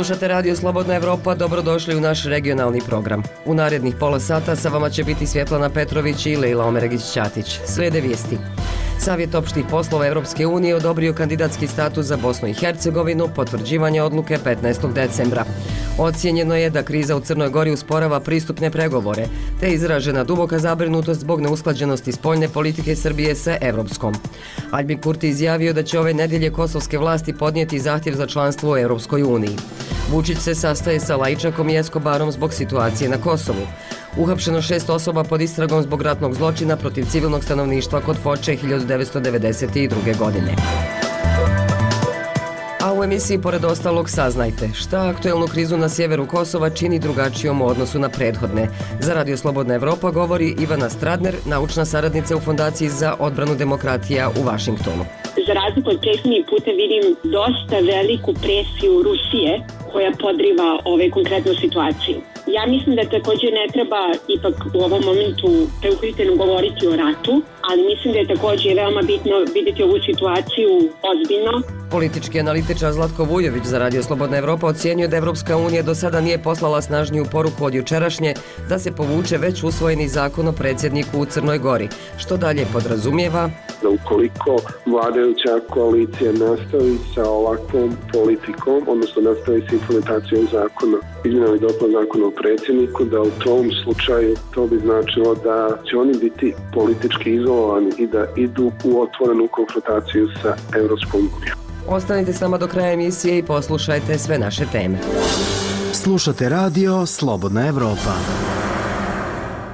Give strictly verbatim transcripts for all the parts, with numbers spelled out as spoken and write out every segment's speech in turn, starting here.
Slušate Radio Slobodna Evropa, dobrodošli u naš regionalni program. U narednih pola sata sa vama će biti Svjetlana Petrović i Lejla Omeragić-Ćatić. Slijede vijesti. Savjet opštih poslova Evropske unije odobrio kandidatski status za Bosnu i Hercegovinu, potvrđivanje odluke petnaestog decembra. Ocijenjeno je da kriza u Crnoj Gori usporava pristupne pregovore, te je izražena duboka zabrinutost zbog neusklađenosti spoljne politike Srbije sa evropskom. Albin Kurti izjavio da će ove nedjelje kosovske vlasti podnijeti zahtjev za članstvo u Evropskoj uniji. Vučić se sastaje sa Lajčakom i Eskobarom zbog situacije na Kosovu. Uhapšeno šest osoba pod istragom zbog ratnog zločina protiv civilnog stanovništva kod Foče hiljadu devetsto devedeset druge. godine. A u emisiji pored ostalog saznajte šta aktuelnu krizu na sjeveru Kosova čini drugačijom u odnosu na prethodne. Za Radio Slobodna Evropa govori Ivana Stradner, naučna saradnica u Fondaciji za odbranu demokratija u Vašingtonu. Za razliku od prethodnih puta vidim dosta veliku presiju Rusije koja podriva ovaj konkretnu situaciju. Ja mislim da također ne treba ipak u ovom momentu preukritveno govoriti o ratu, ali mislim da je također veoma bitno vidjeti ovu situaciju ozbiljno. Politički analitičar Zlatko Vujović za Radio Slobodna Evropa ocjenjuje da Evropska unija do sada nije poslala snažniju poruku od jučerašnje da se povuče već usvojeni zakon o predsjedniku u Crnoj Gori, što dalje podrazumijeva da ukoliko vladajuća koalicija nastavi sa ovakvom politikom, odnosno nastavi s implementacijom zakona, izmjenama i dopuna zakona o predsjedniku, da u tom slučaju to bi značilo da će oni biti politički izolovani i da idu u otvorenu konfrontaciju sa Evropskom unijom. Ostanite s nama do kraja emisije i poslušajte sve naše teme. Slušate Radio Slobodna Evropa.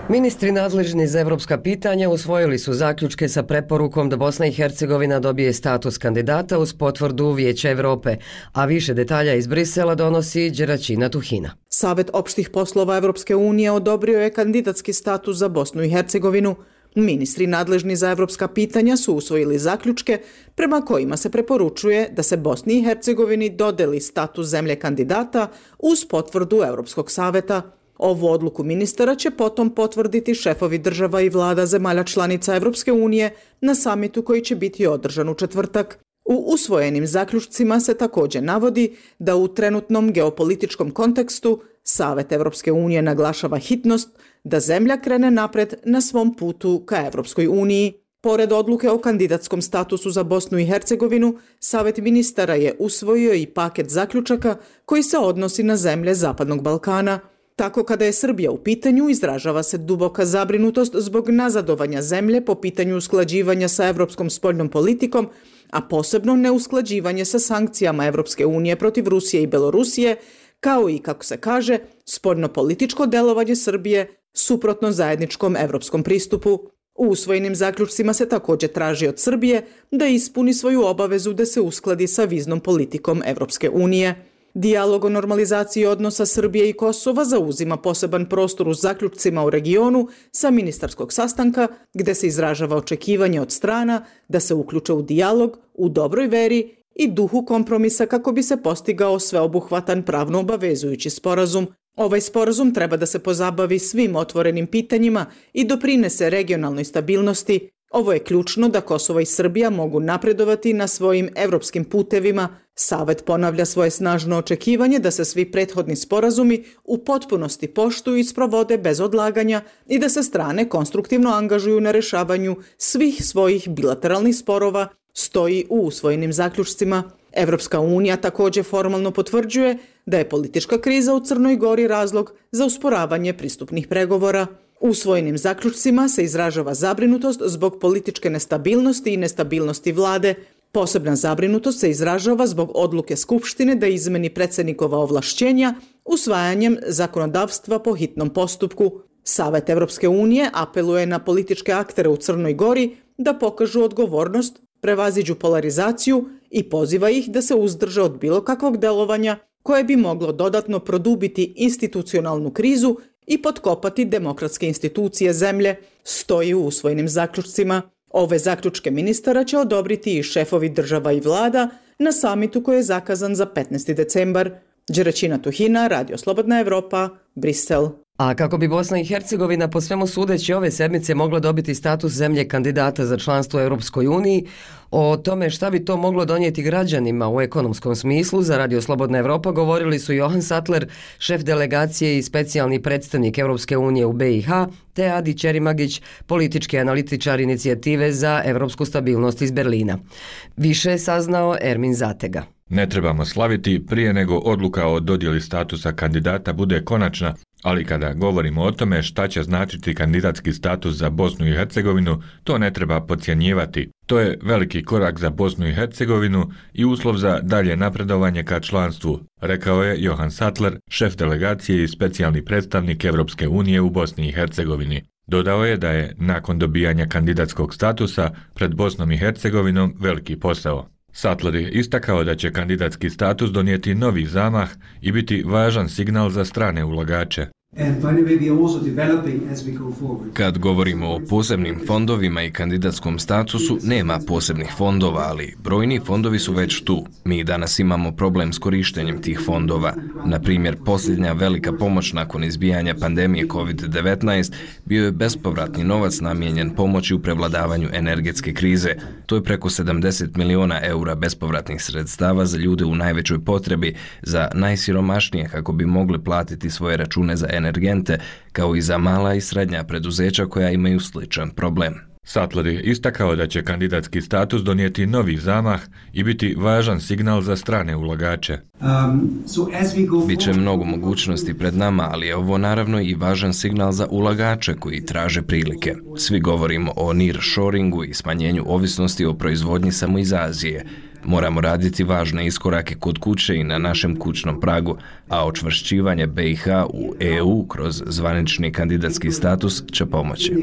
Ministri nadležni za evropska pitanja usvojili su zaključke sa preporukom da Bosna i Hercegovina dobije status kandidata uz potvrdu Vijeća Evrope, a više detalja iz Brisela donosi Đeraćina Tuhina. Savet opštih poslova Evropske unije odobrio je kandidatski status za Bosnu i Hercegovinu. Ministri nadležni za evropska pitanja su usvojili zaključke prema kojima se preporučuje da se Bosni i Hercegovini dodeli status zemlje kandidata uz potvrdu Evropskog saveta. Ovu odluku ministara će potom potvrditi šefovi država i vlada zemalja članica Evropske unije na samitu koji će biti održan u četvrtak. U usvojenim zaključcima se također navodi da u trenutnom geopolitičkom kontekstu Savet Evropske unije naglašava hitnost da zemlja krene napred na svom putu ka Evropskoj uniji. Pored odluke o kandidatskom statusu za Bosnu i Hercegovinu, Savet ministara je usvojio i paket zaključaka koji se odnosi na zemlje Zapadnog Balkana. Tako kada je Srbija u pitanju, izražava se duboka zabrinutost zbog nazadovanja zemlje po pitanju usklađivanja sa evropskom spoljnom politikom, a posebno neusklađivanje sa sankcijama Evropske unije protiv Rusije i Belorusije, kao i, kako se kaže, spoljno-političko delovanje Srbije suprotno zajedničkom evropskom pristupu. U usvojenim zaključcima se također traži od Srbije da ispuni svoju obavezu da se uskladi sa viznom politikom Evropske unije. Dijalog o normalizaciji odnosa Srbije i Kosova zauzima poseban prostor u zaključcima u regionu sa ministarskog sastanka, gde se izražava očekivanje od strana da se uključe u dijalog u dobroj veri i duhu kompromisa kako bi se postigao sveobuhvatan pravno obavezujući sporazum. Ovaj sporazum treba da se pozabavi svim otvorenim pitanjima i doprinese regionalnoj stabilnosti. Ovo je ključno da Kosovo i Srbija mogu napredovati na svojim evropskim putevima. Savet ponavlja svoje snažno očekivanje da se svi prethodni sporazumi u potpunosti poštuju i sprovode bez odlaganja i da se strane konstruktivno angažuju na rešavanju svih svojih bilateralnih sporova, stoji u usvojenim zaključcima. Evropska unija također formalno potvrđuje da je politička kriza u Crnoj Gori razlog za usporavanje pristupnih pregovora. U usvojenim zaključcima se izražava zabrinutost zbog političke nestabilnosti i nestabilnosti vlade. Posebna zabrinutost se izražava zbog odluke Skupštine da izmeni predsjednikova ovlašćenja usvajanjem zakonodavstva po hitnom postupku. Savet Evropske unije apeluje na političke aktere u Crnoj Gori da pokažu odgovornost, prevaziđu polarizaciju i poziva ih da se uzdrže od bilo kakvog delovanja koje bi moglo dodatno produbiti institucionalnu krizu i potkopati demokratske institucije zemlje, stoji u usvojenim zaključcima. Ove zaključke ministara će odobriti i šefovi država i vlada na samitu koji je zakazan za petnaesti decembar. Đeraćina Tuhina, Radio Slobodna Evropa, Brisel. A kako bi Bosna i Hercegovina po svemu sudeći ove sedmice mogla dobiti status zemlje kandidata za članstvo u Europskoj uniji, o tome šta bi to moglo donijeti građanima u ekonomskom smislu za Radio Slobodna Evropa govorili su Johan Sattler, šef delegacije i specijalni predstavnik Europske unije u be i ha, te Adi Čerimagić, politički analitičar inicijative za evropsku stabilnost iz Berlina. Više je saznao Ermin Zatega. Ne trebamo slaviti prije nego odluka o dodjeli statusa kandidata bude konačna, ali kada govorimo o tome šta će značiti kandidatski status za Bosnu i Hercegovinu, to ne treba podcjenjivati. To je veliki korak za Bosnu i Hercegovinu i uslov za dalje napredovanje ka članstvu, rekao je Johan Sattler, šef delegacije i specijalni predstavnik Evropske unije u Bosni i Hercegovini. Dodao je da je nakon dobijanja kandidatskog statusa pred Bosnom i Hercegovinom veliki posao. Sattler je istakao da će kandidatski status donijeti novi zamah i biti važan signal za strane ulagače. Kad govorimo o posebnim fondovima i kandidatskom statusu, nema posebnih fondova, ali brojni fondovi su već tu. Mi danas imamo problem s korištenjem tih fondova. Na primjer, posljednja velika pomoć nakon izbijanja pandemije kovid devetnaest bio je bespovratni novac namijenjen pomoći u prevladavanju energetske krize. To je preko sedamdeset miliona eura bespovratnih sredstava za ljude u najvećoj potrebi, za najsiromašnije kako bi mogli platiti svoje račune za energente, kao i za mala i srednja preduzeća koja imaju sličan problem. Sattler je istakao da će kandidatski status donijeti novi zamah i biti važan signal za strane ulagače. Biće mnogo mogućnosti pred nama, ali je ovo naravno i važan signal za ulagače koji traže prilike. Svi govorimo o nearshoringu i smanjenju ovisnosti o proizvodnji samo iz Azije. Moramo raditi važne iskorake kod kuće i na našem kućnom pragu, a očvršćivanje be i ha u e u kroz zvanični kandidatski status će pomoći.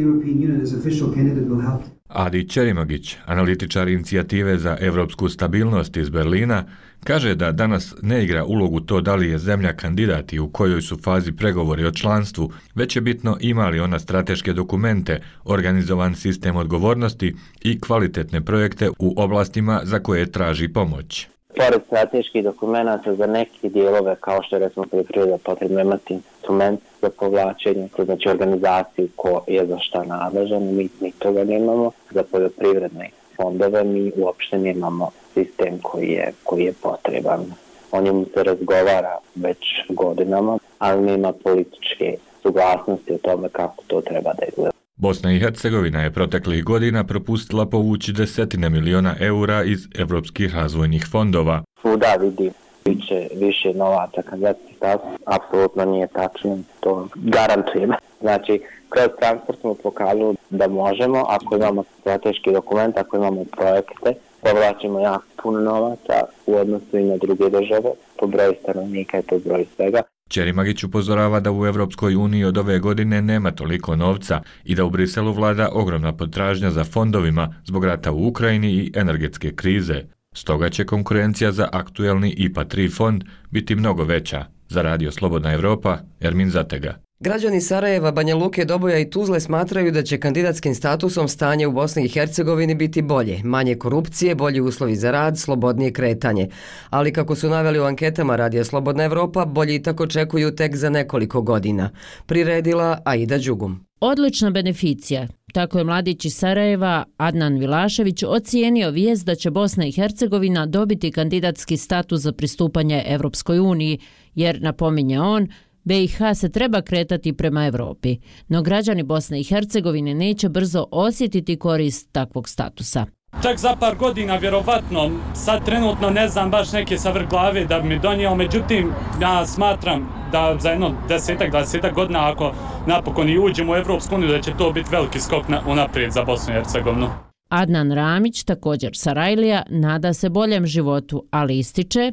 Adi Čerimagić, analitičar inicijative za evropsku stabilnost iz Berlina, kaže da danas ne igra ulogu to da li je zemlja kandidat i u kojoj su fazi pregovori o članstvu, već je bitno ima li ona strateške dokumente, organizovan sistem odgovornosti i kvalitetne projekte u oblastima za koje traži pomoć. Pored strateških dokumenta za neke dijelove, kao što je recimo poljoprivreda, potrebno imati instrument za povlačenje, to znači organizaciju ko je za šta nadležan, mi, mi toga nemamo. Za poljoprivredne fondove mi uopšte nemamo sistem koji je, koji je potreban. O njemu se razgovara već godinama, ali nema političke suglasnosti o tome kako to treba da izgleda. Bosna i Hercegovina je proteklih godina propustila povući desetine miliona eura iz evropskih razvojnih fondova. Svuda vidi više, više novaca kandidatski status, apsolutno nije tačno, to garantujem. Znači, kroz transport smo pokazali da možemo, ako imamo strateški dokument, ako imamo projekte, povlačimo jako puno novaca u odnosu i na druge države, po broju stanovnika i po broju svega. Čerimagić upozorava da u Evropskoj uniji od ove godine nema toliko novca i da u Briselu vlada ogromna potražnja za fondovima zbog rata u Ukrajini i energetske krize. Stoga će konkurencija za aktuelni I P A tri fond biti mnogo veća. Za Radio Slobodna Evropa, Ermin Zatega. Građani Sarajeva, Banja Luke, Doboja i Tuzle smatraju da će kandidatskim statusom stanje u Bosni i Hercegovini biti bolje, manje korupcije, bolji uslovi za rad, slobodnije kretanje. Ali kako su naveli u anketama Radija Slobodna Evropa, bolji tako očekuju tek za nekoliko godina. Priredila Aida Đugum. Odlična beneficija. Tako je mladić iz Sarajeva, Adnan Vilašević, ocijenio vijest da će Bosna i Hercegovina dobiti kandidatski status za pristupanje Evropskoj uniji, jer, napominje on, be i ha se treba kretati prema Evropi, no građani Bosne i Hercegovine neće brzo osjetiti korist takvog statusa. Čak za par godina, vjerovatno, sad trenutno ne znam baš neke sa vrh glave da bi mi donijelo, međutim, ja smatram da za jedno desetak, dvadesetak godina, ako napokon i uđemo u Evropsku uniju, da će to biti veliki skok na, unaprijed za Bosnu i Hercegovinu. Adnan Ramić, također Sarajlija, nada se boljem životu, ali ističe: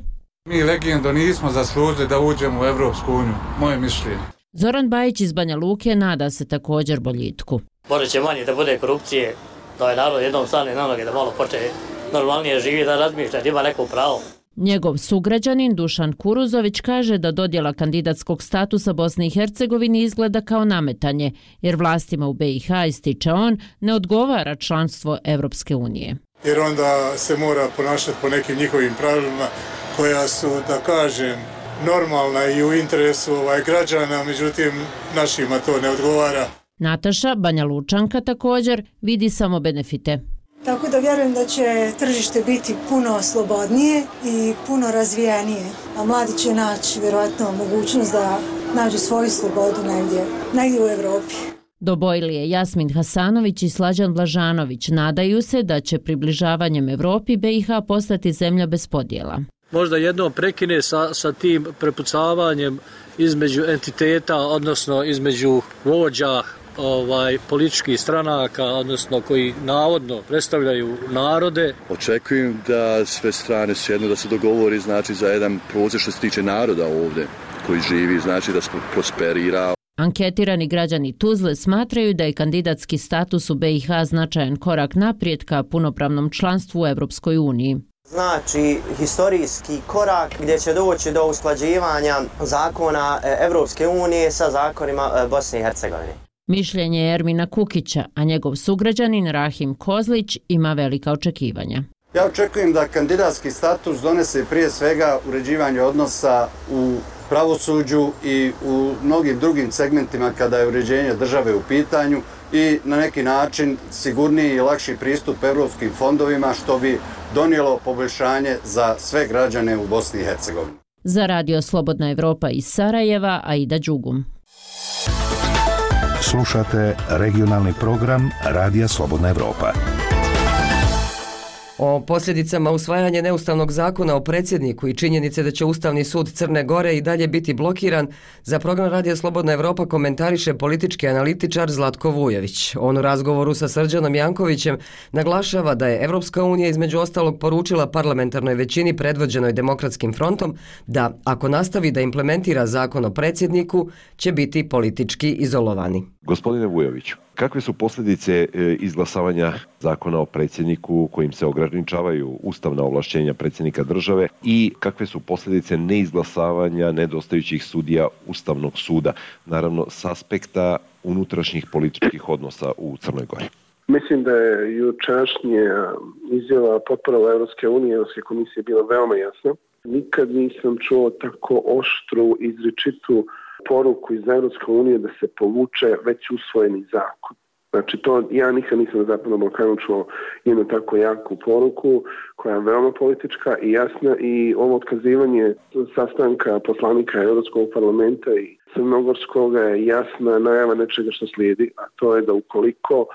mi legendo nismo zaslužili da uđemo u Evropsku uniju, moje mišljenje. Zoran Bajić iz Banja Luke nada se također boljitku. Možda će manje da bude korupcije, da je narod jednom stane na noge, da malo počne normalnije živi, da razmišlja, da ima neko pravo. Njegov sugrađanin Dušan Kuruzović kaže da dodjela kandidatskog statusa Bosne i Hercegovini izgleda kao nametanje, jer vlastima u be i ha, ističe on, ne odgovara članstvo Evropske unije. Jer onda se mora ponašati po nekim njihovim pravilima koja su, da kažem, normalna i u interesu ovaj, građana, međutim našima to ne odgovara. Nataša, Banja Lučanka, također vidi samo benefite. Tako da vjerujem da će tržište biti puno slobodnije i puno razvijenije, a mladi će naći vjerojatno mogućnost da nađu svoju slobodu negdje, negdje u Evropi. Dobojlije Jasmin Hasanović i Slađan Blažanović nadaju se da će približavanjem Evropi B i H postati zemlja bez podjela. Možda jednom prekine sa, sa tim prepucavanjem između entiteta, odnosno između vođa ovaj političkih stranaka, odnosno koji navodno predstavljaju narode. Očekujem da sve strane sjednu da se dogovori znači za jedan proces što se tiče naroda ovdje koji živi, znači da prosperira. Anketirani građani Tuzle smatraju da je kandidatski status u B i H značajan korak naprijed ka punopravnom članstvu u Evropskoj uniji. Znači historijski korak gdje će doći do usklađivanja zakona Evropske unije sa zakonima Bosne i Hercegovine. Mišljenje je Ermina Kukića, a njegov sugrađanin Rahim Kozlić ima velika očekivanja. Ja očekujem da kandidatski status donese prije svega uređivanje odnosa u pravosuđu i u mnogim drugim segmentima kada je uređenje države u pitanju i na neki način sigurniji i lakši pristup evropskim fondovima što bi donijelo poboljšanje za sve građane u Bosni i Hercegovini. Za Radio Slobodna Evropa iz Sarajeva, Aida Đugum. Slušate regionalni program Radija Slobodna Evropa. O posljedicama usvajanja neustavnog zakona o predsjedniku i činjenice da će Ustavni sud Crne Gore i dalje biti blokiran, za program Radija Slobodna Evropa komentariše politički analitičar Zlatko Vujović. On u razgovoru sa Srđanom Jankovićem naglašava da je Evropska unija između ostalog poručila parlamentarnoj većini predvođenoj Demokratskim frontom da ako nastavi da implementira zakon o predsjedniku će biti politički izolovani. Gospodine Vujoviću, kakve su posljedice izglasavanja zakona o predsjedniku kojim se ograničavaju ustavna ovlašćenja predsjednika države i kakve su posljedice neizglasavanja nedostajućih sudija Ustavnog suda, naravno s aspekta unutrašnjih političkih odnosa u Crnoj Gori? Mislim da je jučerašnja izjava potpora Evropske unije, Evropske komisije bila veoma jasna. Nikad nisam čuo tako oštru, izričitu poruku iz Evropske unije da se povuče već usvojeni zakon. Znači to ja nikad nisam na Zapadnom Balkanu čuo jednu tako jaku poruku koja je veoma politička i jasna i ovo otkazivanje sastanka poslanika Evropskog parlamenta i Crnogorskog je jasna najava nečega što slijedi, a to je da ukoliko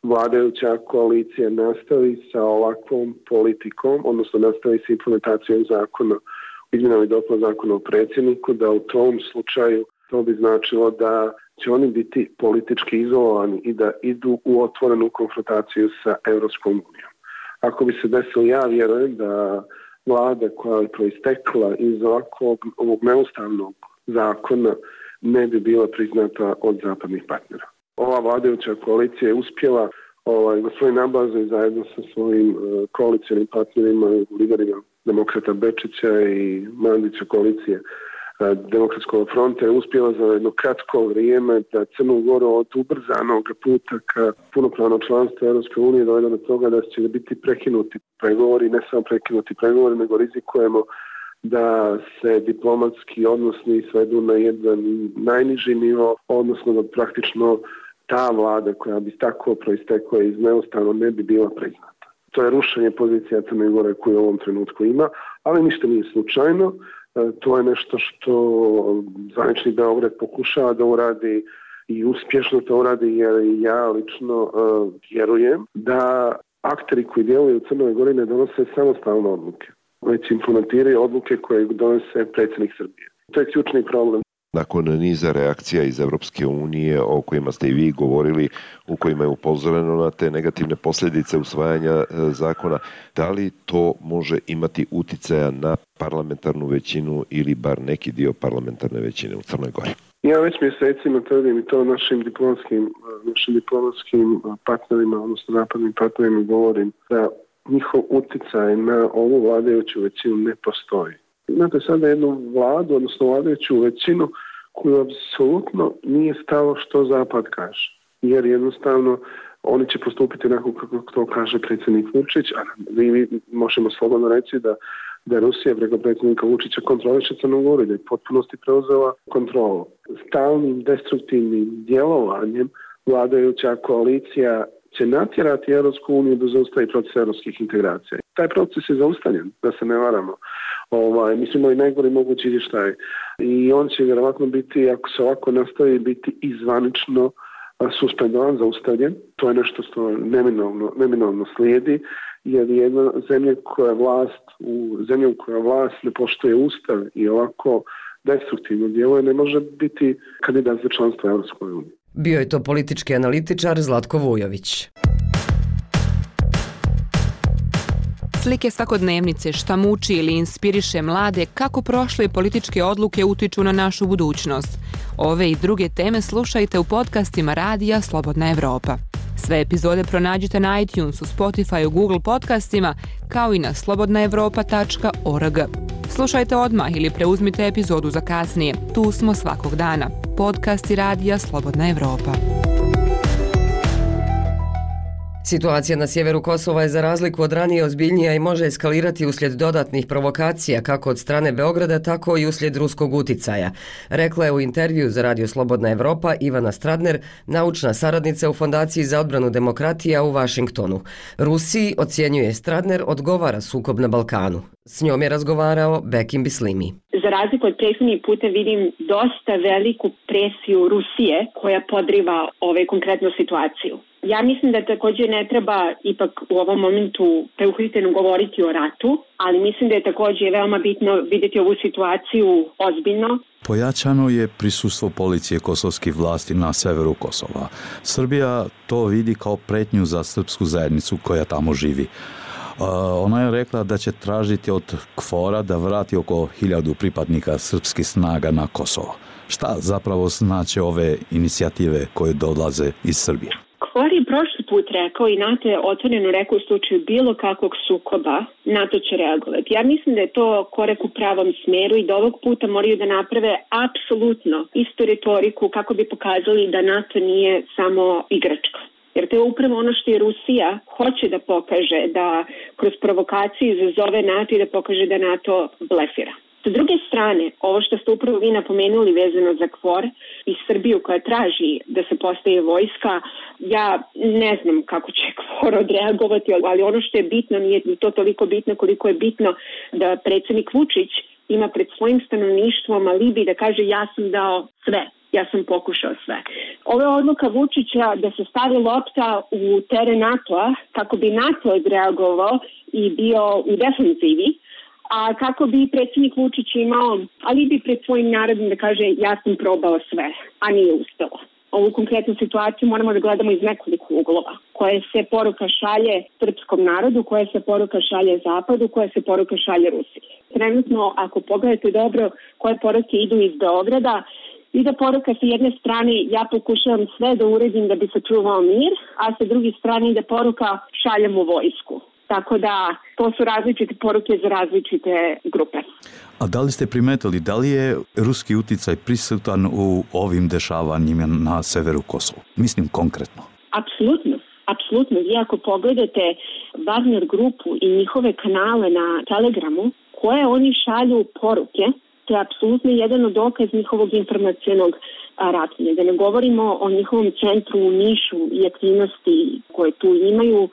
vladajuća koalicija nastavi sa ovakvom politikom, odnosno nastavi sa implementacijom zakona, izmjenama i dopunama zakona o predsjedniku, da u tom slučaju to bi značilo da će oni biti politički izolovani i da idu u otvorenu konfrontaciju sa Evropskom unijom. Ako bi se desilo, ja vjerujem da vlada koja je proistekla iz ovakvog ovog neustavnog zakona ne bi bila priznata od zapadnih partnera. Ova vladajuća koalicija je uspjela ovaj, gospodin Nabazov zajedno sa svojim uh, koalicijnim partnerima, liderima Demokrata Bečića i Mandića koalicije Demokratskog fronta je uspjela za jedno kratko vrijeme da Crnu Goru od ubrzanog puta ka punopravno članstvo Europske unije dovede do toga da će biti prekinuti pregovori, ne samo prekinuti pregovori, nego rizikujemo da se diplomatski odnosi svedu na jedan najniži nivo, odnosno da praktično ta vlada koja bi tako proistekla iz neustavno ne bi bila priznata. To je rušenje pozicija Crne Gore koju u ovom trenutku ima, ali ništa nije slučajno. To je nešto što zvanični Beograd pokušava da uradi i uspješno to uradi, jer ja lično uh, vjerujem da akteri koji djeluju u Crnoj Gori ne donose samostalne odluke, već implementiraju odluke koje donose predsjednik Srbije. To je ključni problem. Nakon niza reakcija iz Evropske unije o kojima ste i vi govorili, u kojima je upozoreno na te negativne posljedice usvajanja zakona, da li to može imati uticaja na parlamentarnu većinu ili bar neki dio parlamentarne većine u Crnoj Gori? Ja već mjesecima tvrdim i to našim diplomatskim, našim diplomatskim partnerima, odnosno zapadnim partnerima govorim da njihov uticaj na ovu vladajuću većinu ne postoji. Imate sada jednu vladu, odnosno vladajuću većinu koju apsolutno nije stalo što Zapad kaže. Jer jednostavno oni će postupiti onako kako to kaže predsjednik Vučić, a mi možemo slobodno reći da da Rusija preko predsjednika Vučića kontroliše Crnu Goru, da je potpunosti preuzela kontrolu. Stalnim destruktivnim djelovanjem vladajuća koalicija će natjerati Europsku uniju da zaustavi proces europskih integracija. Taj proces je zaustavljen, da se ne varamo. Ovaj, mi smo imali najgori mogući izvještaj i on će vjerovatno biti, ako se ovako nastavi, biti izvanično suspendovan, zaustavljen. To je nešto što neminovno, neminovno slijedi, jer jedna zemlja koja vlast, u zemlju koja vlast ne poštuje ustav i ovako destruktivno djeluje, ne može biti kandidat za članstvo Europskoj uniji. Bio je to politički analitičar Zlatko Vujović. Slike svakodnevnice, šta muči ili inspiriše mlade, kako prošle političke odluke utiču na našu budućnost. Ove i druge teme slušajte u podcastima Radija Slobodna Evropa. Sve epizode pronađite na iTunesu, Spotifyu, Google podcastima, kao i na slobodna evropa tačka org. Slušajte odmah ili preuzmite epizodu za kasnije. Tu smo svakog dana. Podcasti Radija Slobodna Evropa. Situacija na sjeveru Kosova je za razliku od ranije ozbiljnija i može eskalirati uslijed dodatnih provokacija kako od strane Beograda, tako i uslijed ruskog uticaja. Rekla je u intervju za Radio Slobodna Evropa Ivana Stradner, naučna saradnica u Fondaciji za odbranu demokratija u Vašingtonu. Rusiji, ocjenjuje Stradner, odgovara sukob na Balkanu. S njom je razgovarao Bekim Bislimi. Za razliku od prethodnih puta vidim dosta veliku presiju Rusije koja podriva ovaj konkretnu situaciju. Ja mislim da također ne treba ipak u ovom momentu preuhiteno govoriti o ratu, ali mislim da je također veoma bitno vidjeti ovu situaciju ozbiljno. Pojačano je prisustvo policije kosovskih vlasti na severu Kosova. Srbija to vidi kao pretnju za srpsku zajednicu koja tamo živi. Ona je rekla da će tražiti od KFOR-a da vrati oko hiljadu pripadnika srpskih snaga na Kosovo. Šta zapravo znače ove inicijative koje dolaze iz Srbije? KFOR je prošli put rekao i NATO je otvoreno rekao u slučaju bilo kakvog sukoba, NATO će reagovati. Ja mislim da je to korak u pravom smjeru i da ovog puta moraju da naprave apsolutno istu retoriku kako bi pokazali da NATO nije samo igračka. Jer to je upravo ono što je Rusija hoće da pokaže, da kroz provokaciju izazove NATO i da pokaže da NATO blefira. S druge strane, ovo što ste upravo vi napomenuli vezano za KFOR i Srbiju koja traži da se postaje vojska, ja ne znam kako će KFOR odreagovati, ali ono što je bitno, nije to toliko bitno koliko je bitno da predsjednik Vučić ima pred svojim stanovništvom alibi da kaže ja sam dao sve. Ja sam pokušao sve. Ova odluka Vučića da se stavi lopta u teren NATO-a kako bi NATO odreagovao i bio u defenzivi, a kako bi predsjednik Vučić imao alibi pred svojim narodom da kaže ja sam probao sve, a nije uspelo. Ovu konkretnu situaciju moramo da gledamo iz nekoliko uglova. Koja se poruka šalje srpskom narodu, koja se poruka šalje Zapadu, koja se poruka šalje Rusiji. Trenutno, ako pogledate dobro koje poruke idu iz Beograda, i da poruka sa jedne strane ja pokušavam sve da uredim da bi sačuvao mir, a sa druge strane da poruka šaljem u vojsku. Tako da to su različite poruke za različite grupe. A da li ste primetili, da li je ruski uticaj prisutan u ovim dešavanjima na severu Kosova? Mislim konkretno. Apsolutno. Apsolutno. Vi ako pogledate Wagner grupu i njihove kanale na Telegramu, koje oni šalju poruke, to je apsolutno jedan od dokaz njihovog informacionog ratovanja. Da ne govorimo o njihovom centru u Nišu i aktivnosti koje tu imaju,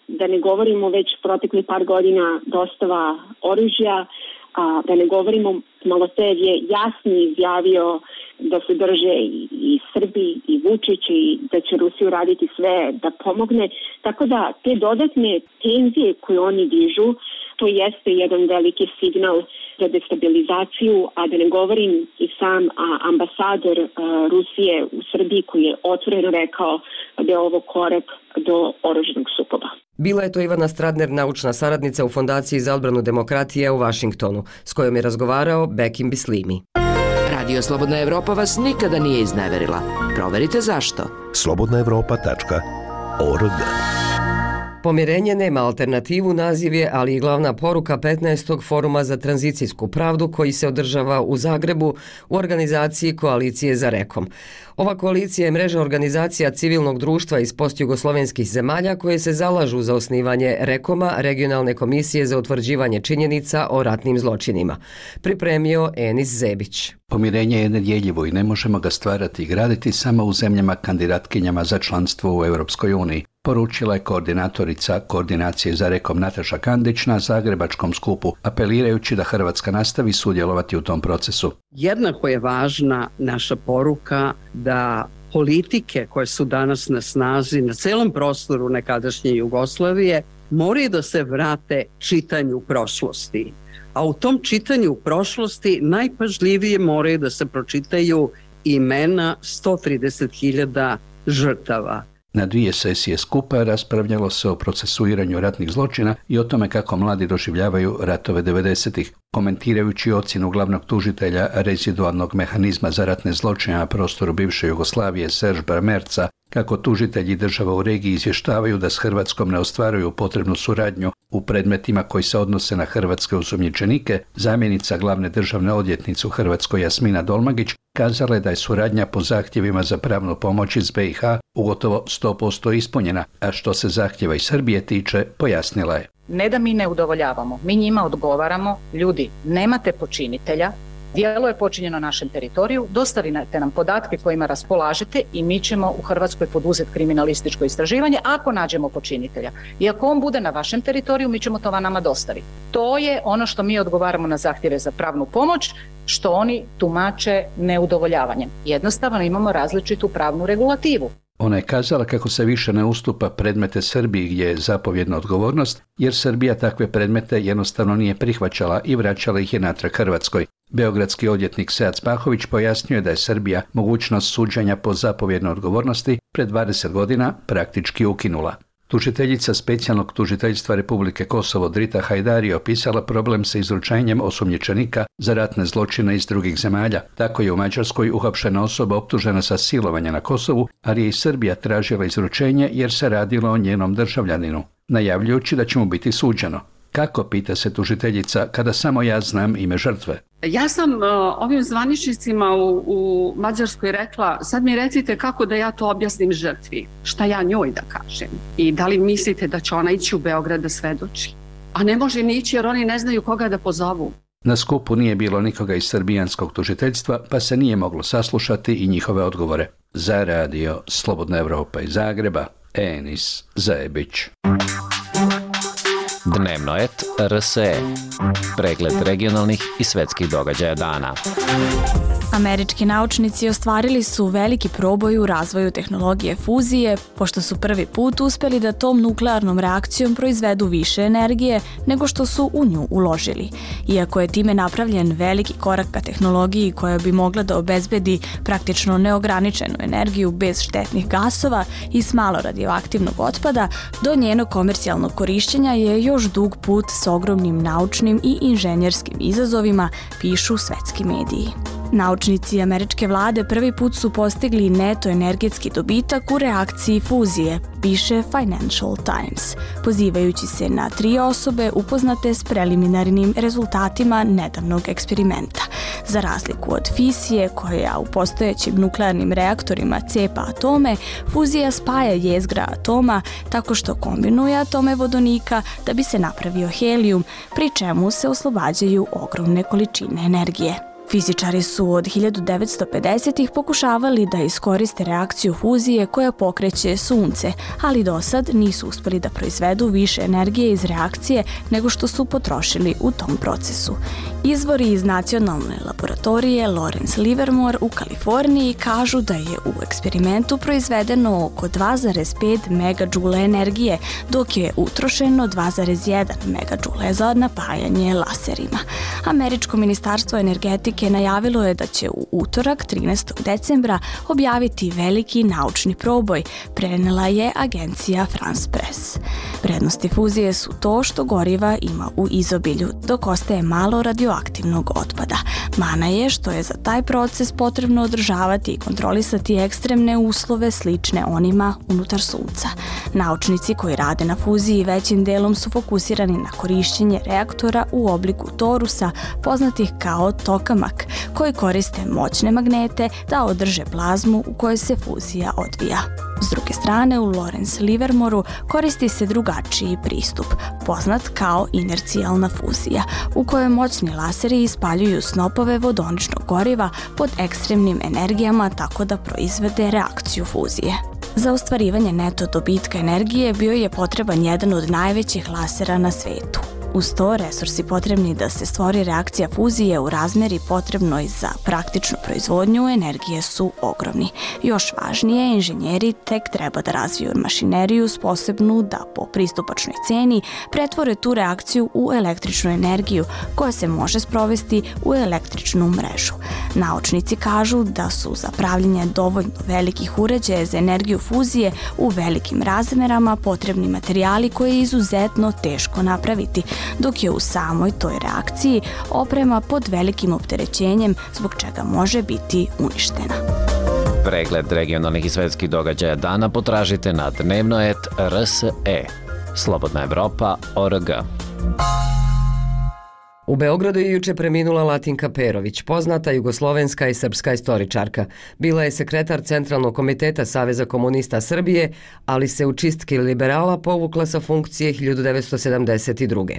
da ne govorimo već protekli par godina dostava oružja, a da ne govorimo, Malotev je jasno izjavio da se drže i, i Srbi i Vučić i da će Rusiju raditi sve da pomogne. Tako da te dodatne tenzije koje oni dižu, to jeste jedan veliki signal za destabilizaciju, a da ne govorim i sam a, ambasador a, Rusije u Srbiji koji je otvoreno rekao da je ovo korak do oružanog sukoba. Bila je to Ivana Stradner, naučna saradnica u Fondaciji za odbranu demokratije u Vašingtonu, s kojom je razgovarao Bekim Bislimi. Radio Slobodna Evropa vas nikada nije izneverila. Proverite zašto. slobodna evropa tačka org Pomirenje nema alternativu naziv je, ali i glavna poruka petnaestog foruma za tranzicijsku pravdu koji se održava u Zagrebu u organizaciji Koalicije za Rekom. Ova koalicija je mreža organizacija civilnog društva iz postjugoslovenskih zemalja koje se zalažu za osnivanje Rekoma, regionalne komisije za utvrđivanje činjenica o ratnim zločinima. Pripremio Enis Zebić. Pomirenje je nedjeljivo i ne možemo ga stvarati i graditi samo u zemljama kandidatkinjama za članstvo u Europskoj uniji, poručila je koordinatorica Koordinacije za Rekom Nataša Kandić na zagrebačkom skupu, apelirajući da Hrvatska nastavi sudjelovati u tom procesu. Jednako je važna naša poruka da politike koje su danas na snazi na celom prostoru nekadašnje Jugoslavije moraju da se vrate čitanju prošlosti. A u tom čitanju prošlosti najpažljivije moraju da se pročitaju imena sto trideset hiljada žrtava. Na dvije sesije skupa raspravljalo se o procesuiranju ratnih zločina i o tome kako mladi doživljavaju ratove devedesetih. Komentirajući ocjenu glavnog tužitelja rezidualnog mehanizma za ratne zločine na prostoru bivše Jugoslavije Serge Bramerca, kako tužitelji država u regiji izvještavaju da s Hrvatskom ne ostvaruju potrebnu suradnju u predmetima koji se odnose na hrvatske osumnjičenike, zamjenica glavne državne odvjetnice u Hrvatskoj Jasmina Dolmagić kazala je da je suradnja po zahtjevima za pravnu pomoć iz be i ha u gotovo sto posto ispunjena, a što se zahtjeva iz Srbije tiče, pojasnila je. Ne da mi ne udovoljavamo, mi njima odgovaramo, ljudi, nemate počinitelja, djelo je počinjeno na našem teritoriju, dostavite nam podatke kojima raspolažete i mi ćemo u Hrvatskoj poduzeti kriminalističko istraživanje ako nađemo počinitelja. I ako on bude na vašem teritoriju, mi ćemo to nama dostaviti. To je ono što mi odgovaramo na zahtjeve za pravnu pomoć, što oni tumače neudovoljavanjem. Jednostavno imamo različitu pravnu regulativu. Ona je kazala kako se više ne ustupa predmete Srbiji gdje je zapovjedna odgovornost, jer Srbija takve predmete jednostavno nije prihvaćala i vraćala ih je natrag Hrvatskoj. Beogradski odvjetnik Sead Spahović pojasnio je da je Srbija mogućnost suđenja po zapovjednoj odgovornosti pred dvadeset godina praktički ukinula. Tužiteljica specijalnog tužiteljstva Republike Kosovo Drita Hajdari je opisala problem sa izručenjem osumnjičenika za ratne zločine iz drugih zemalja. Tako je u Mađarskoj uhapšena osoba optužena sa silovanja na Kosovu, ali je i Srbija tražila izručenje jer se radilo o njenom državljaninu, najavljujući da će mu biti suđeno. Kako, pita se tužiteljica, kada samo ja znam ime žrtve? Ja sam uh, ovim zvaničnicima u, u Mađarskoj rekla, sad mi recite kako da ja to objasnim žrtvi, šta ja njoj da kažem i da li mislite da će ona ići u Beograd da svedoči? A ne može ni ići jer oni ne znaju koga da pozovu. Na skupu nije bilo nikoga iz srbijanskog tužiteljstva, pa se nije moglo saslušati i njihove odgovore. Za radio Slobodna Evropa iz Zagreba, Enis Zebić. Dnevnoet R S E. Pregled regionalnih i svetskih događaja dana. Američki naučnici ostvarili su veliki proboj u razvoju tehnologije fuzije, pošto su prvi put uspjeli da tom nuklearnom reakcijom proizvedu više energije nego što su u nju uložili. Iako je time napravljen veliki korak ka tehnologiji koja bi mogla da obezbedi praktično neograničenu energiju bez štetnih gasova i s malo radioaktivnog otpada, do njenog komercijalnog korišćenja je još dug put s ogromnim naučnim i inženjerskim izazovima, pišu svetski mediji. Naučnici američke vlade prvi put su postigli neto energetski dobitak u reakciji fuzije, piše Financial Times, pozivajući se na tri osobe upoznate s preliminarnim rezultatima nedavnog eksperimenta. Za razliku od fisije, koja u postojećim nuklearnim reaktorima cepa atome, fuzija spaja jezgra atoma tako što kombinuje atome vodonika da bi se napravio helijum, pri čemu se oslobađaju ogromne količine energije. Fizičari su od hiljadu devetsto pedesetih pokušavali da iskoriste reakciju fuzije koja pokreće sunce, ali do sad nisu uspjeli da proizvedu više energije iz reakcije nego što su potrošili u tom procesu. Izvori iz nacionalne laboratorije Lawrence Livermore u Kaliforniji kažu da je u eksperimentu proizvedeno oko dva zarez pet megadžula energije, dok je utrošeno dva zarez jedan megadžule za napajanje laserima. Američko ministarstvo energetike fizike najavilo je da će u utorak trinaestog decembra objaviti veliki naučni proboj, prenela je agencija France Press. Prednosti fuzije su to što goriva ima u izobilju, dok ostaje malo radioaktivnog otpada. Mana je što je za taj proces potrebno održavati i kontrolisati ekstremne uslove slične onima unutar Sunca. Naučnici koji rade na fuziji većim delom su fokusirani na korišćenje reaktora u obliku torusa, poznatih kao tokamak, koji koriste moćne magnete da održe plazmu u kojoj se fuzija odvija. S druge strane, u Lawrence Livermoreu koristi se drugačiji pristup, poznat kao inercijalna fuzija, u kojoj moćni laseri ispaljuju snopove vodoničnog goriva pod ekstremnim energijama tako da proizvede reakciju fuzije. Za ostvarivanje neto dobitka energije bio je potreban jedan od najvećih lasera na svetu. Uz to, resursi potrebni da se stvori reakcija fuzije u razmeri potrebnoj za praktičnu proizvodnju energije su ogromni. Još važnije, inženjeri tek treba da razviju mašineriju sposobnu da po pristupačnoj ceni pretvore tu reakciju u električnu energiju koja se može sprovesti u električnu mrežu. Naučnici kažu da su za pravljenje dovoljno velikih uređaja za energiju fuzije u velikim razmerama potrebni materijali koje je izuzetno teško napraviti, dok je u samoj toj reakciji oprema pod velikim opterećenjem zbog čega može biti uništena. Pregled regionalnih i svetskih događaja dana potražite na dnevnoet R S E. Slobodna Evropa O R G. U Beogradu je juče preminula Latinka Perović, poznata jugoslovenska i srpska istoričarka. Bila je sekretar Centralnog komiteta Saveza komunista Srbije, ali se u čistki liberala povukla sa funkcije hiljadu devetsto sedamdeset druge.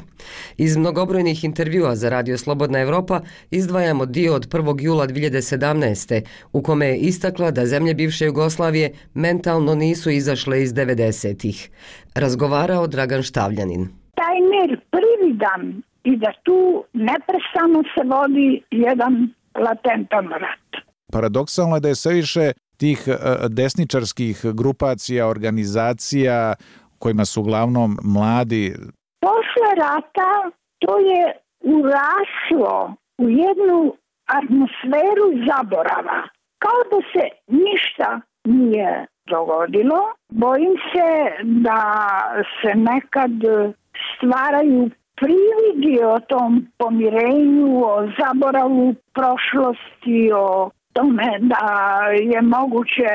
Iz mnogobrojnih intervjua za Radio Slobodna Evropa izdvajamo dio od prvog jula dve hiljade sedamnaeste. u kome je istakla da zemlje bivše Jugoslavije mentalno nisu izašle iz devedesetih. Razgovarao Dragan Štavljanin. Taj mir prividan i da tu neprestano se vodi jedan latentan rat. Paradoksalno je da je sve više tih desničarskih grupacija, organizacija kojima su uglavnom mladi. Posle rata to je uraslo u jednu atmosferu zaborava. Kao da se ništa nije dogodilo. Bojim se da se nekad stvaraju prividi o tom pomirenju, o zaboravu prošlosti, o tome da je moguće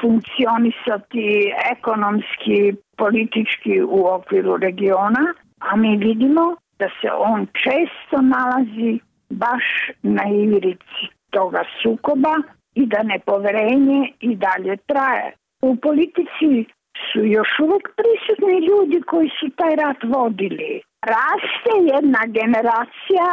funkcionisati ekonomski, politički u okviru regiona, a mi vidimo da se on često nalazi baš na ivrici toga sukoba i da nepoverenje i dalje traje. U politici su još uvek prisutni ljudi koji su taj rat vodili. Raste jedna generacija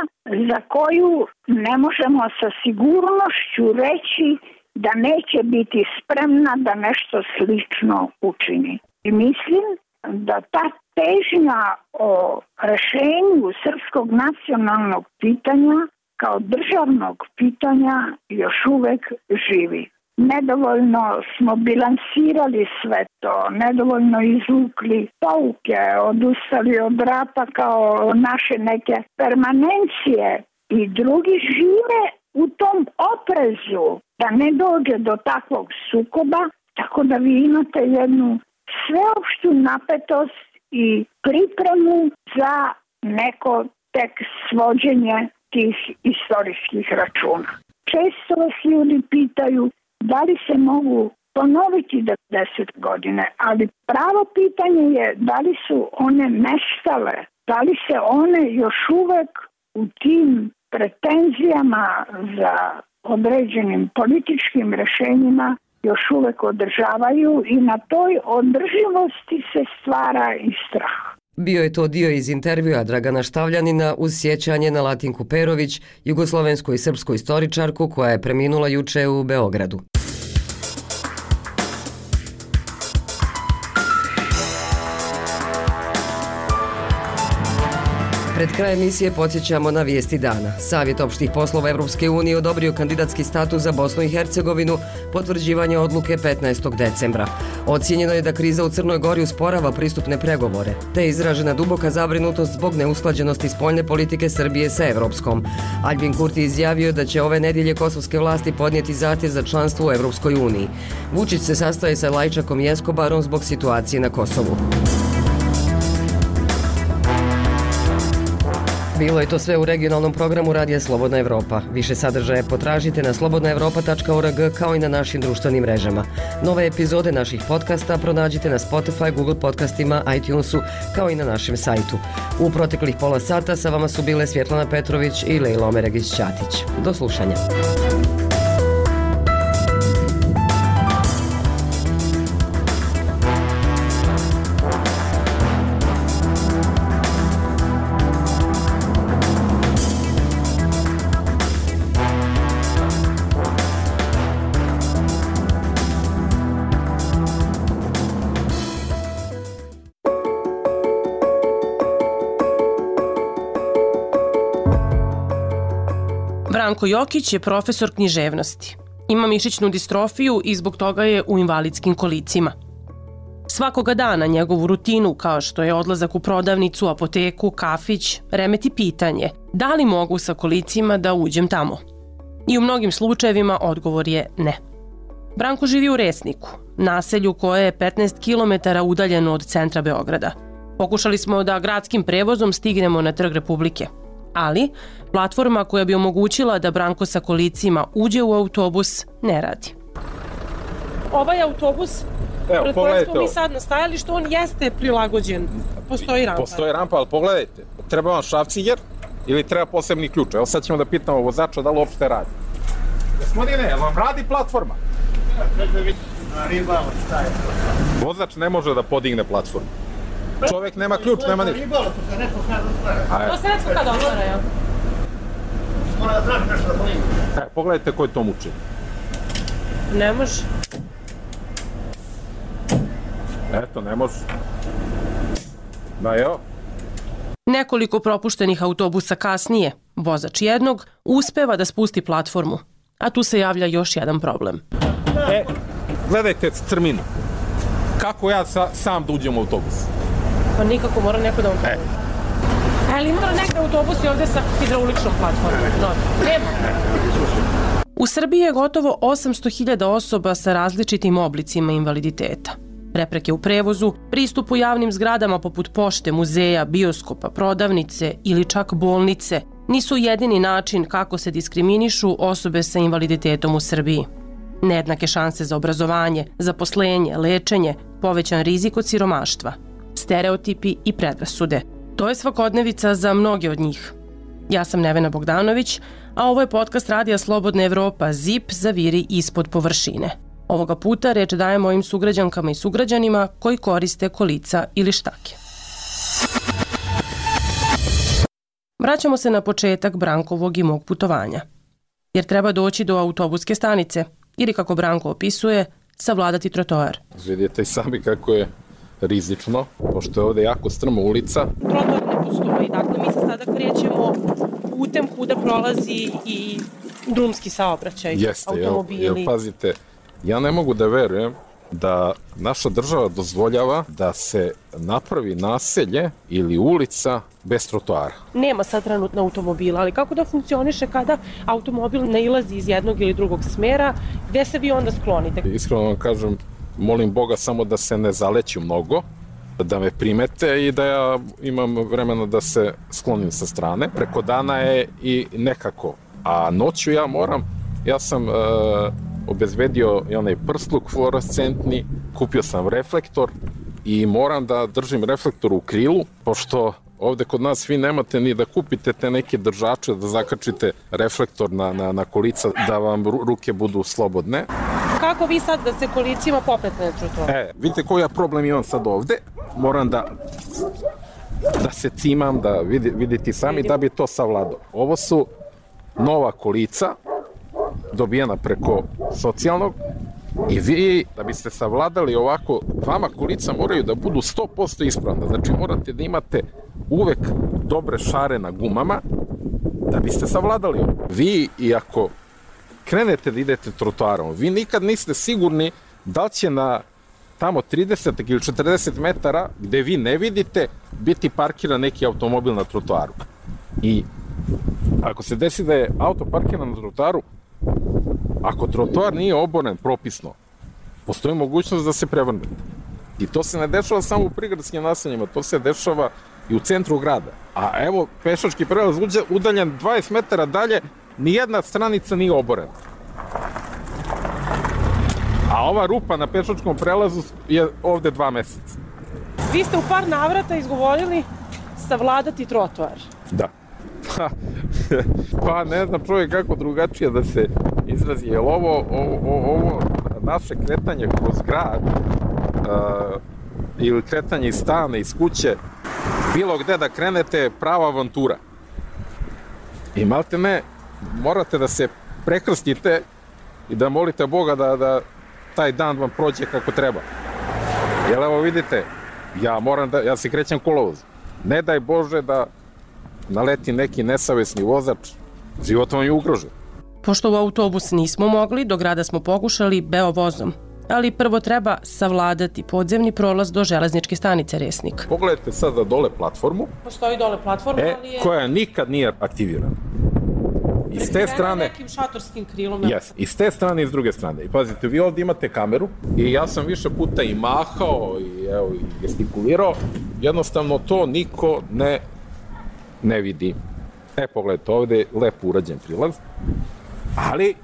za koju ne možemo sa sigurnošću reći da neće biti spremna da nešto slično učini. I mislim da ta težnja o rešenju srpskog nacionalnog pitanja kao državnog pitanja još uvek živi. Nedovoljno smo bilansirali sve to, nedovoljno izvukli pouke, odustali od rata kao naše neke permanencije i drugi žive u tom oprezu da ne dođe do takvog sukoba, tako da vi imate jednu sveopštu napetost i pripremu za neko tek svođenje tih istorijskih računa. Često vas ljudi pitaju da li se mogu ponoviti devedeset godine, ali pravo pitanje je da li su one nestale, da li se one još uvek u tim pretenzijama za određenim političkim rešenjima još uvek održavaju i na toj održivosti se stvara i strah. Bio je to dio iz intervjua Dragana Štavljanina uz sjećanje na Latinku Perović, jugoslovensku i srpsku istoričarku koja je preminula juče u Beogradu. Pred kraj emisije podsjećamo na vijesti dana. Savjet opštih poslova Evropske unije odobrio kandidatski status za Bosnu i Hercegovinu, potvrđivanje odluke petnaestog decembra. Ocijenjeno je da kriza u Crnoj Gori usporava pristupne pregovore, te je izražena duboka zabrinutost zbog neusklađenosti spoljne politike Srbije sa evropskom. Albin Kurti izjavio da će ove nedjelje kosovske vlasti podnijeti zahtjev za članstvo u Evropskoj uniji. Vučić se sastaje sa Lajčakom i Eskobarom zbog situacije na Kosovu. Bilo je to sve u regionalnom programu Radija Slobodna Evropa. Više sadržaje potražite na slobodna evropa tačka org kao i na našim društvenim mrežama. Nove epizode naših podcasta pronađite na Spotify, Google podcastima, iTunesu kao i na našem sajtu. U proteklih pola sata sa vama su bile Svjetlana Petrović i Lejla Omeregić-Ćatić. Do slušanja. Branko Jokić je profesor književnosti. Ima mišićnu distrofiju i zbog toga je u invalidskim kolicima. Svakoga dana njegovu rutinu, kao što je odlazak u prodavnicu, apoteku, kafić, remeti pitanje da li mogu sa kolicima da uđem tamo. I u mnogim slučajevima odgovor je ne. Branko živi u Resniku, naselju koje je petnaest kilometara udaljeno od centra Beograda. Pokušali smo da gradskim prevozom stignemo na Trg Republike. Ali platforma koja bi omogućila da Branko sa kolicima uđe u autobus ne radi. Ovaj autobus, pred kojeg smo mi sad nastajali, što on jeste prilagođen. Postoji rampa. Postoji rampa, ali pogledajte, treba vam šrafciger ili treba posebni ključ. Evo sad ćemo da pitamo vozača da li uopšte radi. Gospodine, jel vam radi platforma? Vozač ne može da podigne platformu. Čovjek nema ključ, nema ništa. To se netko kad otvara, jel? Mora da traži nešto da podigne. E, pogledajte ko je to muči. Ne može. Eto, ne može. Da, evo. Nekoliko propuštenih autobusa kasnije, vozač jednog uspeva da spusti platformu. A tu se javlja još jedan problem. E, gledajte crminu. Kako ja sa, sam da uđem u autobus? Pa nikako, mora neko da vam pomoći. E. Ali ima neke autobusi ovdje sa hidrauličnom platformom? No, nema. U Srbiji je gotovo osamsto hiljada osoba sa različitim oblicima invaliditeta. Prepreke u prevozu, pristup u javnim zgradama poput pošte, muzeja, bioskopa, prodavnice ili čak bolnice nisu jedini način kako se diskriminišu osobe sa invaliditetom u Srbiji. Nejednake šanse za obrazovanje, zaposlenje, lečenje, povećan rizik od siromaštva, stereotipi i predrasude. To je svakodnevica za mnoge od njih. Ja sam Nevena Bogdanović, a ovo je podcast Radija Slobodna Evropa Z I P Zaviri ispod površine. Ovoga puta reč dajem mojim sugrađankama i sugrađanima koji koriste kolica ili štake. Vraćamo se na početak Brankovog i mog putovanja. Jer treba doći do autobuske stanice ili, kako Branko opisuje, savladati trotoar. Vidite i sami kako je rizično, pošto je ovdje jako strma ulica. Trotoar ne postoji, dakle mi se sada krećemo putem kuda prolazi i drumski saobraćaj, Jeste, automobili. Jel, jel, pazite, ja ne mogu da verujem da naša država dozvoljava da se napravi naselje ili ulica bez trotoara. Nema sad trenutno automobila, ali kako da funkcioniše kada automobil nailazi iz jednog ili drugog smjera, gdje se vi onda sklonite? Iskreno vam kažem, molim Boga samo da se ne zaleću mnogo, da me primete i da ja imam vremena da se sklonim sa strane. Preko dana je i nekako, a noću ja moram, ja sam... E, obezbedio i onaj prsluk fluorescentni, kupio sam reflektor i moram da držim reflektor u krilu, pošto ovdje kod nas vi nemate ni da kupite te neke držače, da zakačite reflektor na, na, na kolica, da vam ruke budu slobodne. Kako vi sad da se kolicima popnete na trotoar? E, vidite koji ja problem imam sad ovdje, moram da, da se cimam, da vidi, vidite sami da bi to savladao. Ovo su nova kolica, dobijena preko socijalnog I vi, da biste savladali ovako, vama kolica moraju da budu sto posto ispravna. Znači morate da imate uvek dobre šare na gumama da biste savladali ovo. Vi, i ako krenete da idete trotoarom, vi nikad niste sigurni da li će na tamo trideset ili četrdeset metara gde vi ne vidite biti parkiran neki automobil na trotoaru. I ako se desi da je auto parkiran na trotoaru, ako trotoar nije oboren propisno, postoji mogućnost da se prevrnete. I to se ne dešava samo u prigradskim naseljima, to se dešava i u centru grada. A evo, pešački prelaz udaljen dvadeset metara dalje, nijedna stranica nije oborena. A ova rupa na pešačkom prelazu je ovde dva meseca. Vi ste u par navrata izgovorili savladati trotoar. Da. Pa ne znam čovjek kako drugačije da se izrazi, jer ovo, ovo, ovo naše kretanje kroz grad uh, ili kretanje iz stana, iz kuće, bilo gde da krenete je prava avantura. I malte ne, morate da se prekrstite i da molite Boga da, da taj dan vam prođe kako treba. Jer evo vidite, ja moram da, ja se krećem kolovoz. Ne daj Bože da naleti neki nesavesni vozač, život vam je ugrožen. Pošto u autobus nismo mogli, do grada smo pokušali Beovozom. Ali prvo treba savladati podzemni prolaz do železničke stanice Resnik. Pogledajte sada dole platformu. Postoji dole platforma, e, ali je... koja nikad nije aktivirana. I s te strane... nekim šatorskim krilom. Yes, i s te strane i s druge strane. I pazite, vi ovdje imate kameru i ja sam više puta i mahao i, evo, i gestikulirao. Jednostavno to niko ne, ne vidi. E, pogledajte, ovdje je lepo urađen prilaz. Ali,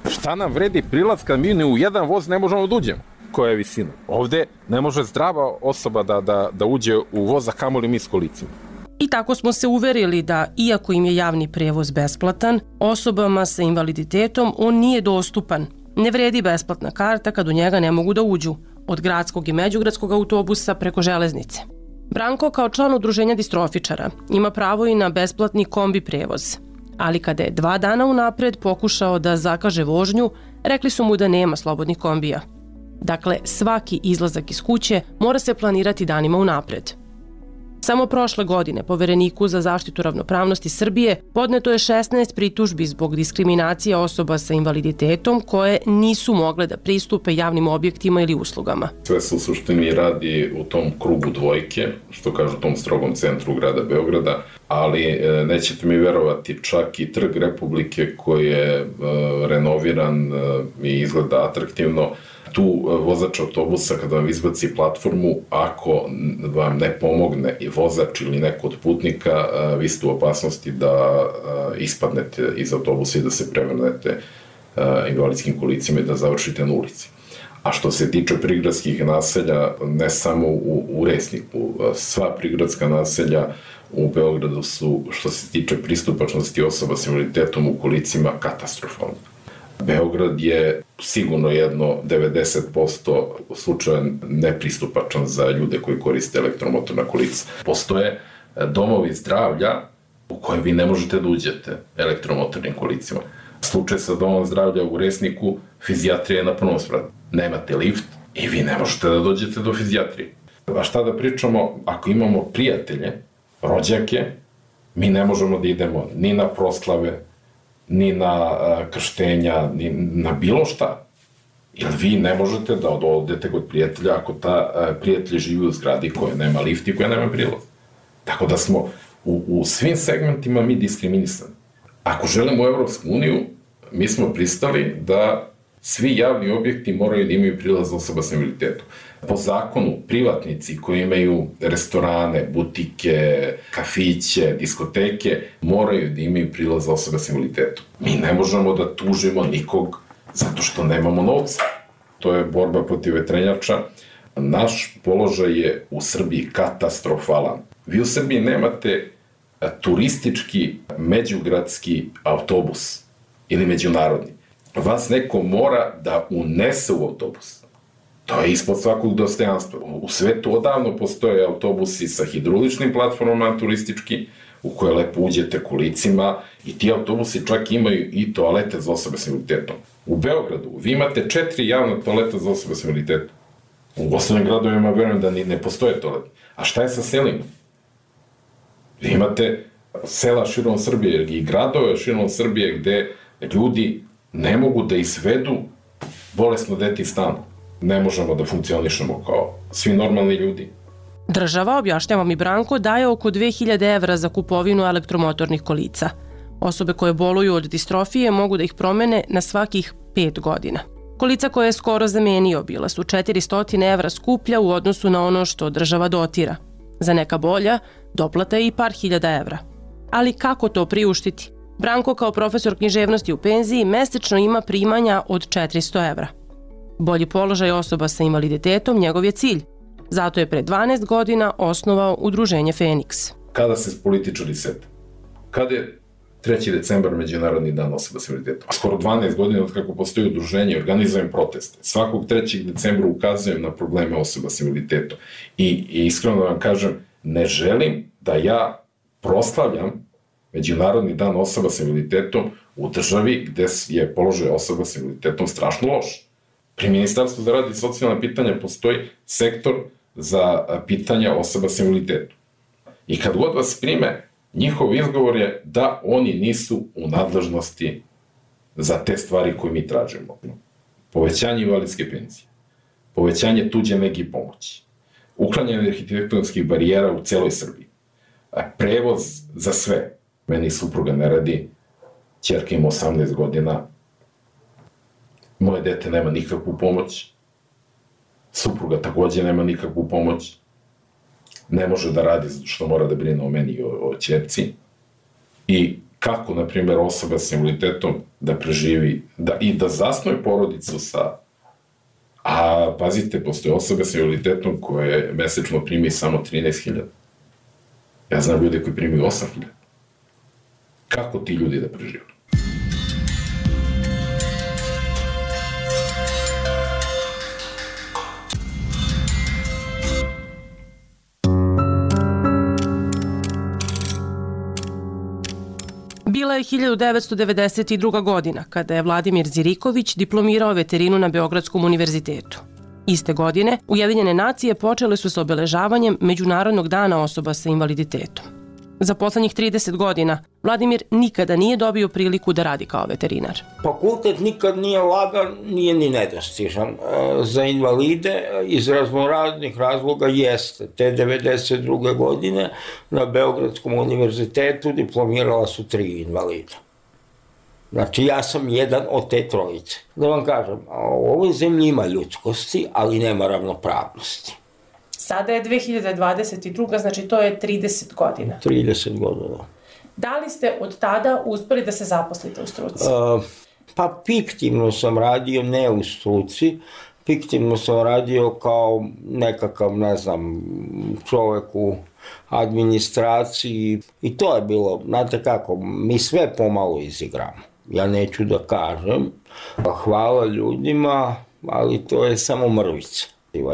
šta nam vredi prilaz kad mi ni u jedan voz ne možemo da uđemo? Koja je visina? Ovdje ne može zdrava osoba da, da, da uđe u voz, a kamoli mi s kolicima. I tako smo se uverili da, iako im je javni prevoz besplatan, osobama sa invaliditetom on nije dostupan. Ne vredi besplatna karta kad u njega ne mogu da uđu, od gradskog i međugradskog autobusa preko železnice. Branko, kao član udruženja distrofičara, ima pravo i na besplatni kombi prevoz. Ali kada je dva dana unapred pokušao da zakaže vožnju, rekli su mu da nema slobodnih kombija. Dakle, svaki izlazak iz kuće mora se planirati danima unapred. Samo prošle godine Povereniku za zaštitu ravnopravnosti Srbije podneto je šesnaest pritužbi zbog diskriminacije osoba sa invaliditetom koje nisu mogle da pristupe javnim objektima ili uslugama. Sve se u suštini radi u tom krugu dvojke, što kažu u tom strogom centru grada Beograda, ali nećete mi verovati, čak i Trg Republike koji je renoviran i izgleda atraktivno, tu vozač autobusa kada vam izbaci platformu, ako vam ne pomogne i vozač ili neko od putnika, vi ste u opasnosti da ispadnete iz autobusa i da se prevrnete invalidskim kolicima i da završite na ulici. A što se tiče prigradskih naselja, ne samo u, u Resniku, sva prigradska naselja u Beogradu su, što se tiče pristupačnosti osoba s invaliditetom u kolicima, katastrofalne. Beograd je sigurno jedno devedeset posto slučaja nepristupačan za ljude koji koriste elektromotorna kolica. Postoje domovi zdravlja u kojem vi ne možete da uđete elektromotornim kolicima. Slučaj sa domom zdravlja u Resniku, fizijatrija je na prvom spratu. Nemate lift i vi ne možete da dođete do fizijatrije. A šta da pričamo, ako imamo prijatelje, rođake, mi ne možemo da idemo ni na proslave, ni na krštenja, ni na bilo šta. Jer vi ne možete da odete kod prijatelja ako ta prijatelj živi u zgradi koja nema lift i koja nema prilaz. Tako da smo u, u svim segmentima mi diskriminisani. Ako želimo u Evropsku uniju, mi smo pristali da svi javni objekti moraju da imaju prilaz osoba s invaliditetom. Po zakonu, privatnici koji imaju restorane, butike, kafiće, diskoteke, moraju da imaju prilaz osoba s invaliditetom. Mi ne možemo da tužimo nikog zato što nemamo novca. To je borba protiv vetrenjača. Naš položaj je u Srbiji katastrofalan. Vi u Srbiji nemate turistički međugradski autobus ili međunarodni. Vas neko mora da unese u autobus. To je ispod svakog dostojanstva. U svetu odavno postoje autobusi sa hidroličnim platformama turistički, u koje lepo uđete kolicima i ti autobusi čak imaju i toalete za osobe s invaliditetom. U Beogradu vi imate četiri javna toaleta za osobe s invaliditetom. U osnovnim gradovima verujem da ni ne postoje toalete. A šta je sa selima? Vi imate sela širom Srbije i gradove širom Srbije gde ljudi ne mogu da izvedu bolesno dete iz stana. Ne možemo da funkcionišemo kao svi normalni ljudi. Država, objašnjava mi Branko, daje oko dve hiljade evra za kupovinu elektromotornih kolica. Osobe koje boluju od distrofije mogu da ih promene na svakih pet godina. Kolica koje je skoro zamenio bila su četiristo evra skuplja u odnosu na ono što država dotira. Za neka bolja, doplata je i par hiljada evra. Ali kako to priuštiti? Branko kao profesor književnosti u penziji mesečno ima primanja od četiristo evra. Bolji položaj osoba sa invaliditetom njegov je cilj. Zato je pre dvanaest godina osnovao udruženje Feniks. Kada se političari sete? Kada je treći decembar Međunarodni dan osoba s invaliditetom? Skoro dvanaest godina od kako postoji udruženje, organizujem proteste. Svakog trećeg decembra ukazujem na probleme osoba s invaliditetom. I, i iskreno da vam kažem, ne želim da ja proslavljam Međunarodni dan osoba s invaliditetom u državi gde je položaj osoba s invaliditetom strašno loš. Pri Ministarstvu za rad i socijalna pitanja postoji sektor za pitanja osoba s invaliditetom. I kad god vas prime, njihov izgovor je da oni nisu u nadležnosti za te stvari koje mi tražimo. Povećanje invalidske penzije, povećanje tuđe nege i pomoći, uklanjanje arhitektonskih barijera u celoj Srbiji, prevoz za sve. Meni supruga ne radi, ćerka ima osamnaest godina, moje dete nema nikakvu pomoć, supruga takođe nema nikakvu pomoć, ne može da radi što mora da brine o meni i o, o ćerci. I kako, na primjer, osoba s invaliditetom da preživi da, i da zasnuje porodicu sa... A, pazite, postoje osobe s invaliditetom koje mesečno primi samo trinaest hiljada. Ja znam ljude koji primaju osam hiljada. Kako ti ljudi da prežive? Bila je hiljadu devetsto devedeset druga. godina, kada je Vladimir Ziriković diplomirao veterinu na Beogradskom univerzitetu. Iste godine, Ujedinjene nacije počele su sa obeležavanjem Međunarodnog dana osoba sa invaliditetom. Za poslednjih trideset godina Vladimir nikada nije dobio priliku da radi kao veterinar. Fakultet nikad nije lagan, nije ni nedostižan. Za invalide iz raznoraznih razloga jeste. Te devedeset druge. godine na Beogradskom univerzitetu diplomirala su tri invalida. Znači ja sam jedan od te trojice. Da vam kažem, u ovoj zemlji ima ljudskosti, ali nema ravnopravnosti. Sada je dve hiljade dvadeset druga. znači to je trideset godina. trideset godina. Da li ste od tada uspeli da se zaposlite u struci? Uh, pa fiktivno sam radio, ne u struci. Fiktivno sam radio kao nekakav, ne znam, čovek u administraciji. I to je bilo, znate kako, mi sve pomalo izigramo. Ja neću da kažem. Hvala ljudima, ali to je samo mrvica.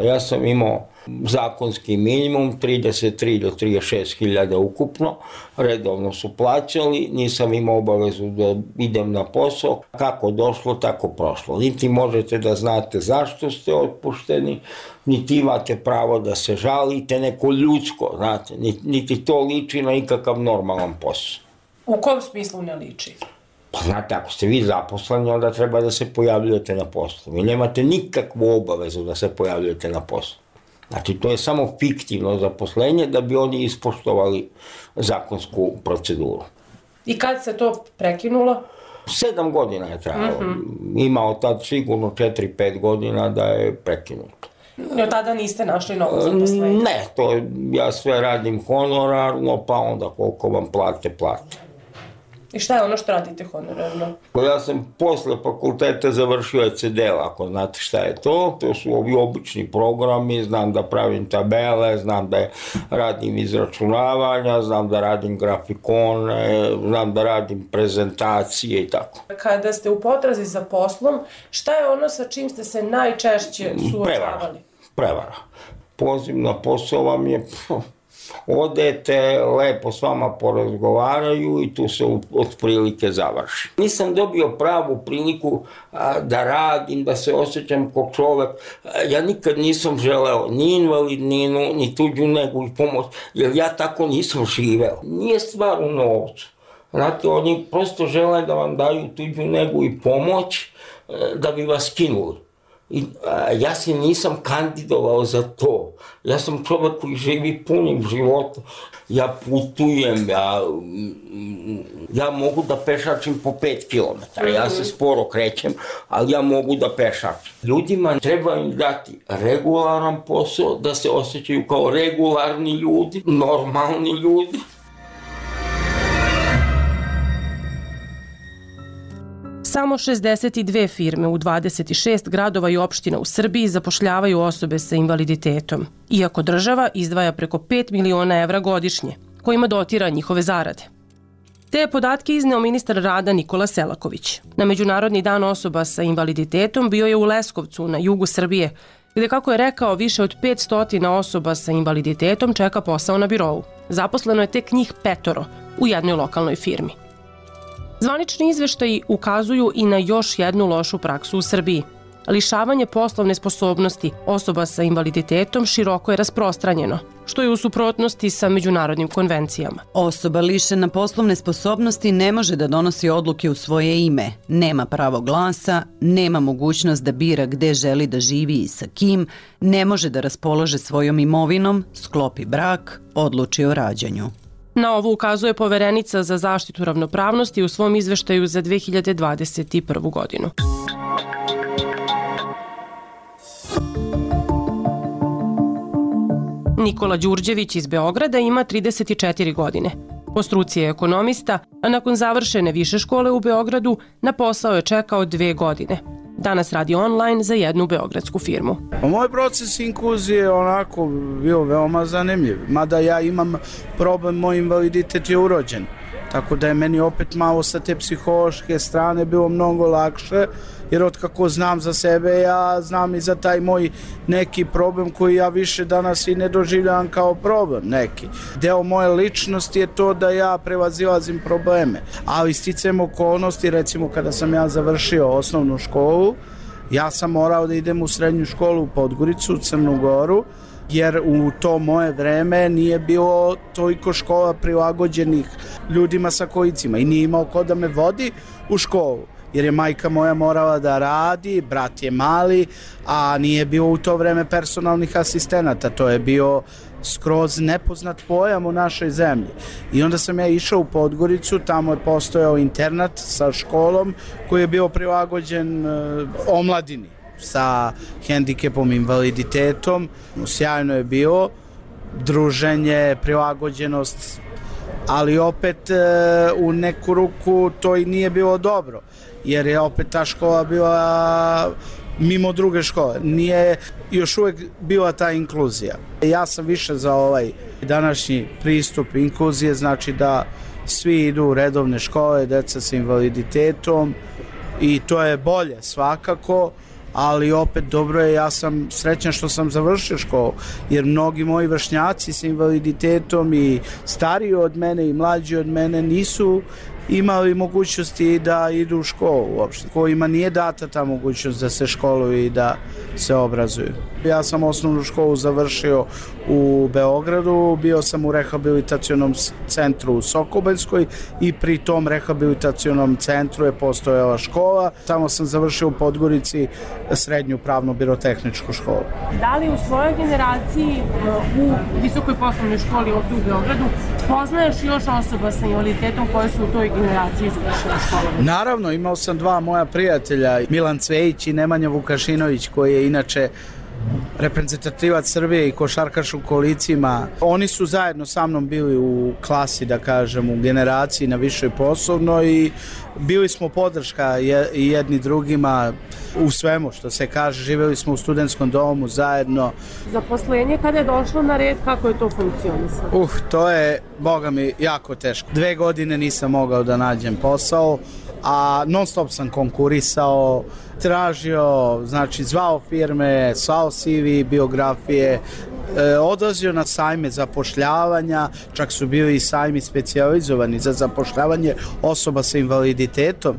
Ja sam imao zakonski minimum, trideset tri do trideset šest hiljada ukupno, redovno su plaćali, nisam imao obavezu da idem na posao, kako došlo, tako prošlo. Niti možete da znate zašto ste otpušteni, niti imate pravo da se žalite, neko ljudsko, znate, niti to liči na ikakav normalan posao. U kom smislu ne liči? Pa znate, ako ste vi zaposleni, onda treba da se pojavljujete na poslu. Vi nemate nikakvu obavezu da se pojavljujete na poslu. Znači, to je samo fiktivno zaposlenje da bi oni ispoštovali zakonsku proceduru. I kad se to prekinulo? Sedam godina je trajalo. Mm-hmm. Imao tad sigurno četiri pet godina da je prekinuto. I od tada niste našli novo zaposlenje? Ne, to ja sve radim honorarno, pa onda koliko vam plate, plate. I šta je ono što radite honorarno? Ja sam posle fakulteta završio E C D L, ako znate šta je to. To su ovi obični programi, znam da pravim tabele, znam da radim izračunavanja, znam da radim grafikone, znam da radim prezentacije i tako. Kada ste u potrazi za poslom, šta je ono sa čim ste se najčešće suočavali? Prevara. Prevara. Poziv na posao vam je... odete, lepo s vama porazgovaraju i tu se otprilike završi. Nisam dobio pravu priliku da radim, da se osjećam kao čovek. Ja nikad nisam želeo ni invalidninu, ni tuđu negu i pomoć, jer ja tako nisam živeo. Nije stvar u novcu. Znate, oni prosto žele da vam daju tuđu negu i pomoć da bi vas skinuli. I, a, ja se nisam kandidovao za to. Ja sam čovjek koji živi punim životom. Ja putujem, ja, ja mogu da pešačim po pet kilometara. Ja se sporo krećem, ali ja mogu da pešačim. Ljudima treba im dati regularan posao, da se osjećaju kao regularni ljudi, normalni ljudi. Samo šezdeset dve firme u dvadeset šest gradova i opština u Srbiji zapošljavaju osobe sa invaliditetom, iako država izdvaja preko pet miliona evra godišnje, kojima dotira njihove zarade. Te je podatke izneo ministar rada Nikola Selaković. Na Međunarodni dan osoba sa invaliditetom bio je u Leskovcu, na jugu Srbije, gde, kako je rekao, više od petsto osoba sa invaliditetom čeka posao na birovu. Zaposleno je tek njih petoro u jednoj lokalnoj firmi. Zvanični izveštaji ukazuju i na još jednu lošu praksu u Srbiji. Lišavanje poslovne sposobnosti osoba sa invaliditetom široko je rasprostranjeno, što je u suprotnosti sa međunarodnim konvencijama. Osoba lišena poslovne sposobnosti ne može da donosi odluke u svoje ime, nema pravo glasa, nema mogućnost da bira gde želi da živi i sa kim, ne može da raspolaže svojom imovinom, sklopi brak, odluči o rađanju. Na ovo ukazuje Poverenica za zaštitu ravnopravnosti u svom izveštaju za dve hiljade dvadeset prvu godinu. Nikola Đurđević iz Beograda ima trideset četiri godine. Po struci je ekonomista, a nakon završene više škole u Beogradu na posao je čekao dve godine. Danas radi online za jednu beogradsku firmu. Moj proces inkluzije je onako bio veoma zanimljiv. Mada ja imam problem, moj invaliditet je urođen. Tako da je meni opet malo sa te psihološke strane bilo mnogo lakše, jer otkako znam za sebe, ja znam i za taj moj neki problem koji ja više danas i ne doživljavam kao problem neki. Deo moje ličnosti je to da ja prevazilazim probleme, ali sticajem okolnosti, recimo kada sam ja završio osnovnu školu, ja sam morao da idem u srednju školu u Podgoricu, u Crnu Goru, jer u to moje vreme nije bilo toliko škola prilagođenih ljudima sa kolicima i nije imao ko da me vodi u školu, jer je majka moja morala da radi, brat je mali, a nije bilo u to vreme personalnih asistenata, to je bio skroz nepoznat pojam u našoj zemlji. I onda sam ja išao u Podgoricu, tamo je postojao internat sa školom koji je bio prilagođen uh, omladini sa hendikepom, invaliditetom. Sjajno je bilo, druženje, prilagođenost, ali opet e, u neku ruku to i nije bilo dobro, jer je opet ta škola bila mimo druge škole. Nije još uvijek bila ta inkluzija. Ja sam više za ovaj današnji pristup inkluzije, znači da svi idu u redovne škole, deca sa invaliditetom, i to je bolje svakako, ali opet dobro je, ja sam srećan što sam završio školu, jer mnogi moji vršnjaci sa invaliditetom i stariji od mene i mlađi od mene nisu imali mogućnosti da idu u školu uopšte, kojima nije data ta mogućnost da se školuju i da se obrazuju. Ja sam osnovnu školu završio u Beogradu, bio sam u rehabilitacionom centru u Sokobanjskoj i pri tom rehabilitacionom centru je postojala škola. Tamo sam završio u Podgorici srednju pravno-birotehničku školu. Da li u svojoj generaciji u visokoj poslovnoj školi ovdje u Beogradu poznaješ još osoba sa invaliditetom koje su u toj generaciji završile školu? Naravno, imao sam dva moja prijatelja, Milan Cvejić i Nemanja Vukašinović, koji je inače reprezentativac Srbije i košarkaš u kolicima. Oni su zajedno sa mnom bili u klasi, da kažem, u generaciji na višoj poslovnoj i bili smo podrška jedni drugima u svemu što se kaže. Živjeli smo u studentskom domu zajedno. Zaposlenje kada je došlo na red, kako je to funkcionisalo? Uh, to je, boga mi, jako teško. Dve godine nisam mogao da nađem posao, a non stop sam konkurisao, tražio, znači zvao firme, slao C V, biografije, e, odlazio na sajme zapošljavanja, čak su bili i sajmi specijalizovani za zapošljavanje osoba sa invaliditetom.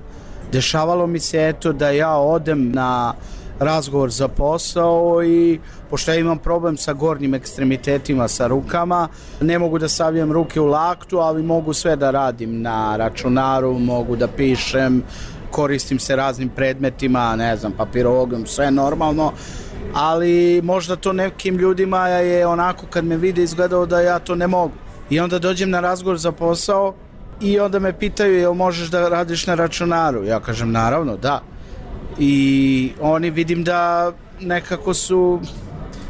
Dešavalo mi se eto da ja odem na razgovor za posao i pošto ja imam problem sa gornjim ekstremitetima, sa rukama, ne mogu da stavljam ruke u laktu, ali mogu sve da radim na računaru, mogu da pišem, koristim se raznim predmetima, ne znam, papirologom, sve normalno, ali možda to nekim ljudima je onako kad me vide izgledao da ja to ne mogu. I onda dođem na razgovor za posao i onda me pitaju jel možeš da radiš na računaru? Ja kažem naravno, da. I oni vidim da nekako su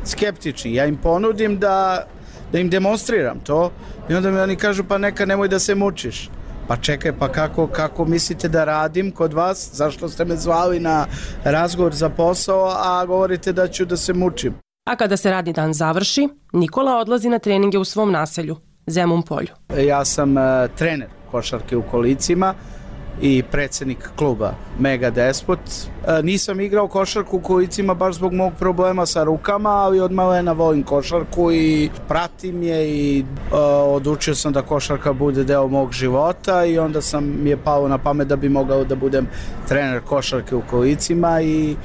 skeptični. Ja im ponudim da, da im demonstriram to i onda mi oni kažu pa neka nemoj da se mučiš. Pa čekaj, pa kako, kako mislite da radim kod vas? Zašto ste me zvali na razgovor za posao, a govorite da ću da se mučim? A kada se radni dan završi, Nikola odlazi na treninge u svom naselju, Zemun polju. Ja sam uh, trener košarke u Kolicima i predsjednik kluba Mega Despot. E, nisam igrao košarku u Kolicima baš zbog mog problema sa rukama, ali od malena volim košarku i pratim je i e, odlučio sam da košarka bude deo mog života i onda sam mi je palo na pamet da bi mogao da budem trener košarke u Kolicima i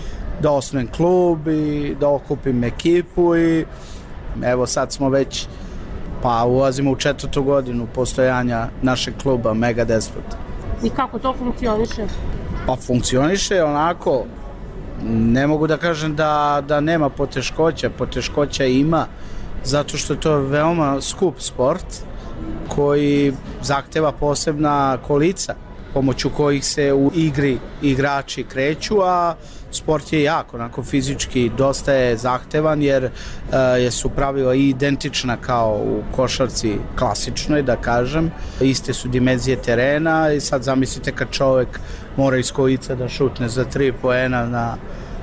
da osnujem klub i da okupim ekipu i evo sad smo već pa ulazimo u četvrtu godinu postojanja našeg kluba Mega Despot. I kako to funkcioniše? Pa funkcioniše onako, ne mogu da kažem da, da nema poteškoća, poteškoća ima, zato što je to veoma skup sport koji zahteva posebna kolica, pomoću kojih se u igri igrači kreću, a sport je jako, onako fizički dosta je zahtevan jer uh, su pravila i identična kao u košarci klasičnoj, da kažem. Iste su dimenzije terena i sad zamislite kad čovjek mora iz kolica da šutne za tri poena na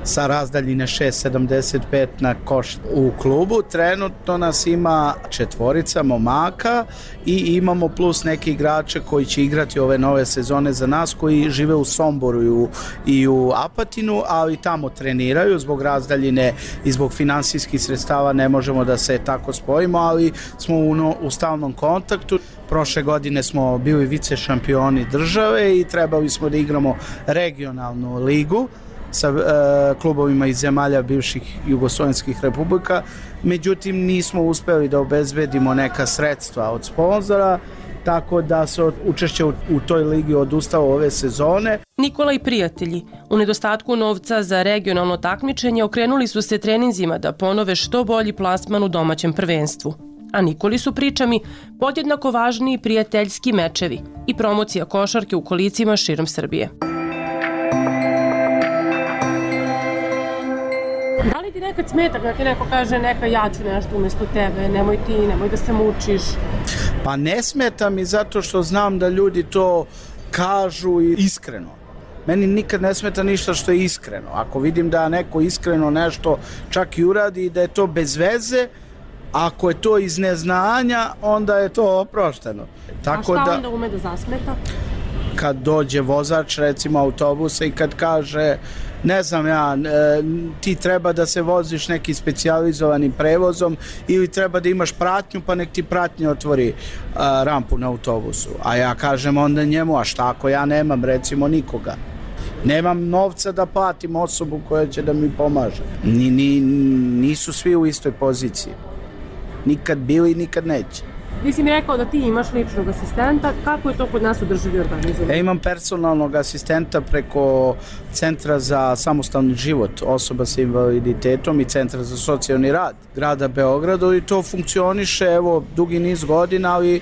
sa razdaljine šest sedamdeset pet na koš. U klubu trenutno nas ima četvorica momaka i imamo plus neke igrače koji će igrati ove nove sezone za nas koji žive u Somboru i u, i u Apatinu, ali tamo treniraju zbog razdaljine i zbog finansijskih sredstava ne možemo da se tako spojimo, ali smo u, no, u stalnom kontaktu. Prošle godine smo bili vice šampioni države i trebali smo da igramo regionalnu ligu sa e, klubovima iz zemalja bivših jugoslovenskih republika, međutim nismo uspeli da obezbedimo neka sredstva od sponzora, tako da se učešće u, u toj ligi odustalo ove sezone. Nikola i prijatelji, u nedostatku novca za regionalno takmičenje okrenuli su se treninzima da ponove što bolji plasman u domaćem prvenstvu. A Nikoli su pričami podjednako važni i prijateljski mečevi i promocija košarke u kolicima širom Srbije. Da li ti nekad smeta kada ti neko kaže neka ja ću nešto umjesto tebe, nemoj ti, nemoj da se mučiš? Pa ne smeta mi zato što znam da ljudi to kažu iskreno. Meni nikad ne smeta ništa što je iskreno. Ako vidim da neko iskreno nešto čak i uradi i da je to bez veze, ako je to iz neznanja, onda je to oprošteno. Tako A šta da, onda ume da zasmeta? Kad dođe vozač, recimo autobusa i kad kaže, ne znam ja, ti treba da se voziš neki specijalizovanim prevozom ili treba da imaš pratnju pa nek ti pratnja otvori a, rampu na autobusu. A ja kažem onda njemu, a šta ako ja nemam recimo nikoga? Nemam novca da platim osobu koja će da mi pomaže. Ni, ni, nisu svi u istoj poziciji. Nikad bili, nikad neće. Ti si mi rekao da ti imaš ličnog asistenta, kako je to kod nas u državi organizovano? Ja imam personalnog asistenta preko Centra za samostalni život osoba sa invaliditetom i Centra za socijalni rad grada Beogradu i to funkcioniše evo dugi niz godina, ali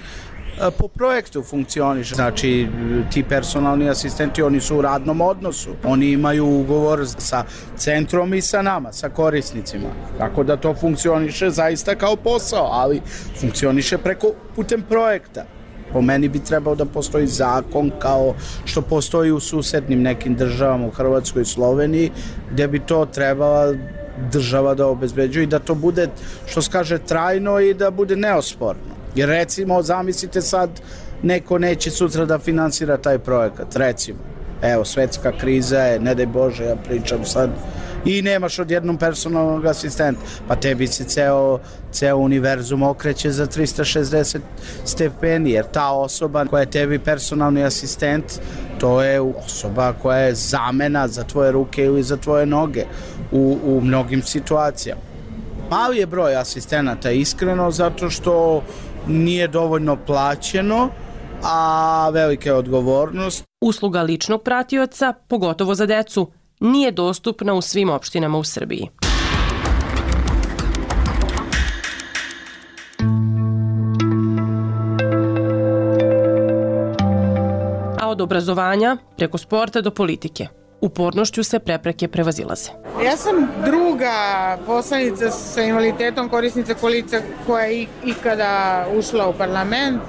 po projektu funkcioniše. Znači, ti personalni asistenti, oni su u radnom odnosu. Oni imaju ugovor sa centrom i sa nama, sa korisnicima. Tako da to funkcioniše zaista kao posao, ali funkcioniše preko putem projekta. Po meni bi trebao da postoji zakon kao što postoji u susednim nekim državama, u Hrvatskoj i Sloveniji, gdje bi to trebala država da obezbeđuje i da to bude, što se kaže, trajno i da bude neosporno. Jer recimo, zamislite sad, neko neće sutra da finansira taj projekat, recimo. evo, svetska kriza je, ne daj Bože, ja pričam sad, i nemaš odjednom personalnog asistenta, pa tebi se ceo, ceo univerzum okreće za trista šezdeset stepeni, jer ta osoba koja je tebi personalni asistent, to je osoba koja je zamena za tvoje ruke ili za tvoje noge u, u mnogim situacijama. Mali je broj asistenata, iskreno, zato što nije dovoljno plaćeno, a velika je odgovornost. Usluga ličnog pratioca, pogotovo za decu, nije dostupna u svim opštinama u Srbiji. A od obrazovanja preko sporta do politike, upornošću se prepreke prevazilaze. Ja sam druga poslanica sa invaliditetom, korisnica kolica koja je ikada ušla u parlament.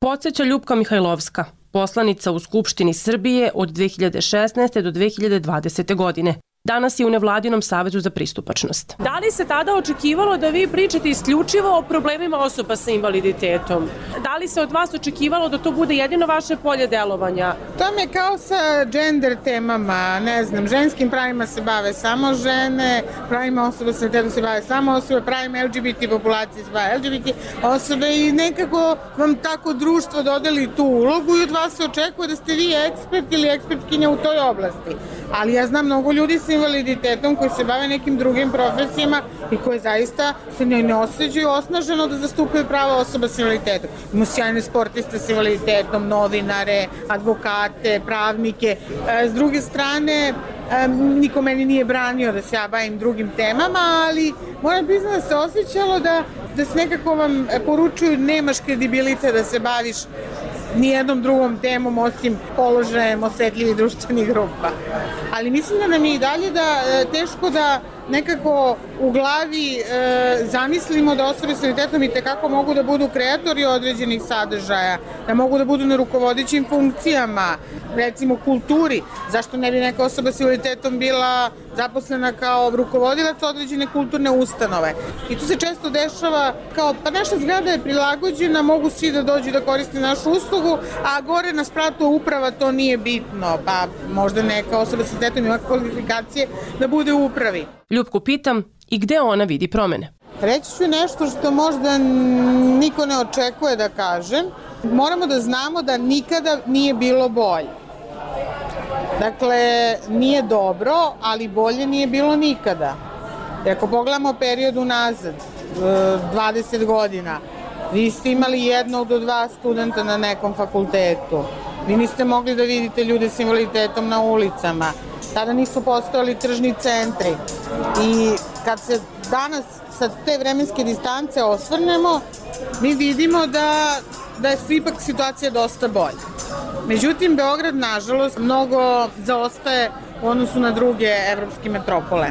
Podseća Ljupka Mihajlovska, poslanica u Skupštini Srbije od dve hiljade šesnaeste do dve hiljade dvadesete godine. Danas je u Nevladinom savezu za pristupačnost. Da li se tada očekivalo da vi pričate isključivo o problemima osoba sa invaliditetom? Da li se od vas očekivalo da to bude jedino vaše polje delovanja? To mi je kao sa gender temama, ne znam, ženskim pravima se bave samo žene, pravima osoba sa invaliditetom se bave samo osobe, pravima L G B T populacije se bave L G B T osobe i nekako vam tako društvo dodeli tu ulogu i od vas se očekuje da ste vi ekspert ili ekspertkinja u toj oblasti. Ali ja znam mnogo ljudi sa invaliditetom koji se bave nekim drugim profesijama i koji zaista se ne osjećaju osnaženo da zastupaju prava osoba sa invaliditetom. Imamo sjajne sportiste sa invaliditetom, novinare, advokate, pravnike. S druge strane, niko meni nije branio da se ja bavim drugim temama, ali moram priznati da se osjećalo da, da se nekako vam poručuju nemaš kredibilitet da se baviš nijednom drugom temom osim položajem osetljivih društvenih grupa. Ali mislim da nam je i dalje da teško da nekako u glavi e, zamislimo da osobe s invaliditetom i tekako mogu da budu kreatori određenih sadržaja, da mogu da budu na rukovodećim funkcijama, recimo kulturi. Zašto ne bi neka osoba s invaliditetom bila zaposlena kao rukovodilac određene kulturne ustanove? I tu se često dešava kao, pa naša zgrada je prilagođena, mogu svi da dođu da koriste našu uslugu, a gore na spratu uprava to nije bitno, pa možda neka osoba s invaliditetom ima kvalifikacije da bude u upravi. Ljupku pitam i gde ona vidi promene. Reći ću nešto što možda niko ne očekuje da kažem. Moramo da znamo da nikada nije bilo bolje. Dakle, nije dobro, ali bolje nije bilo nikada. I ako pogledamo period unazad, dvadeset godina, vi ste imali jednog do dva studenta na nekom fakultetu. Vi niste mogli da vidite ljude s invaliditetom na ulicama. Tada nisu postojali tržni centri. I kad se danas sa te vremenske distance osvrnemo, mi vidimo da, da je ipak situacija dosta bolja. Međutim, Beograd, nažalost, mnogo zaostaje u odnosu na druge evropske metropole.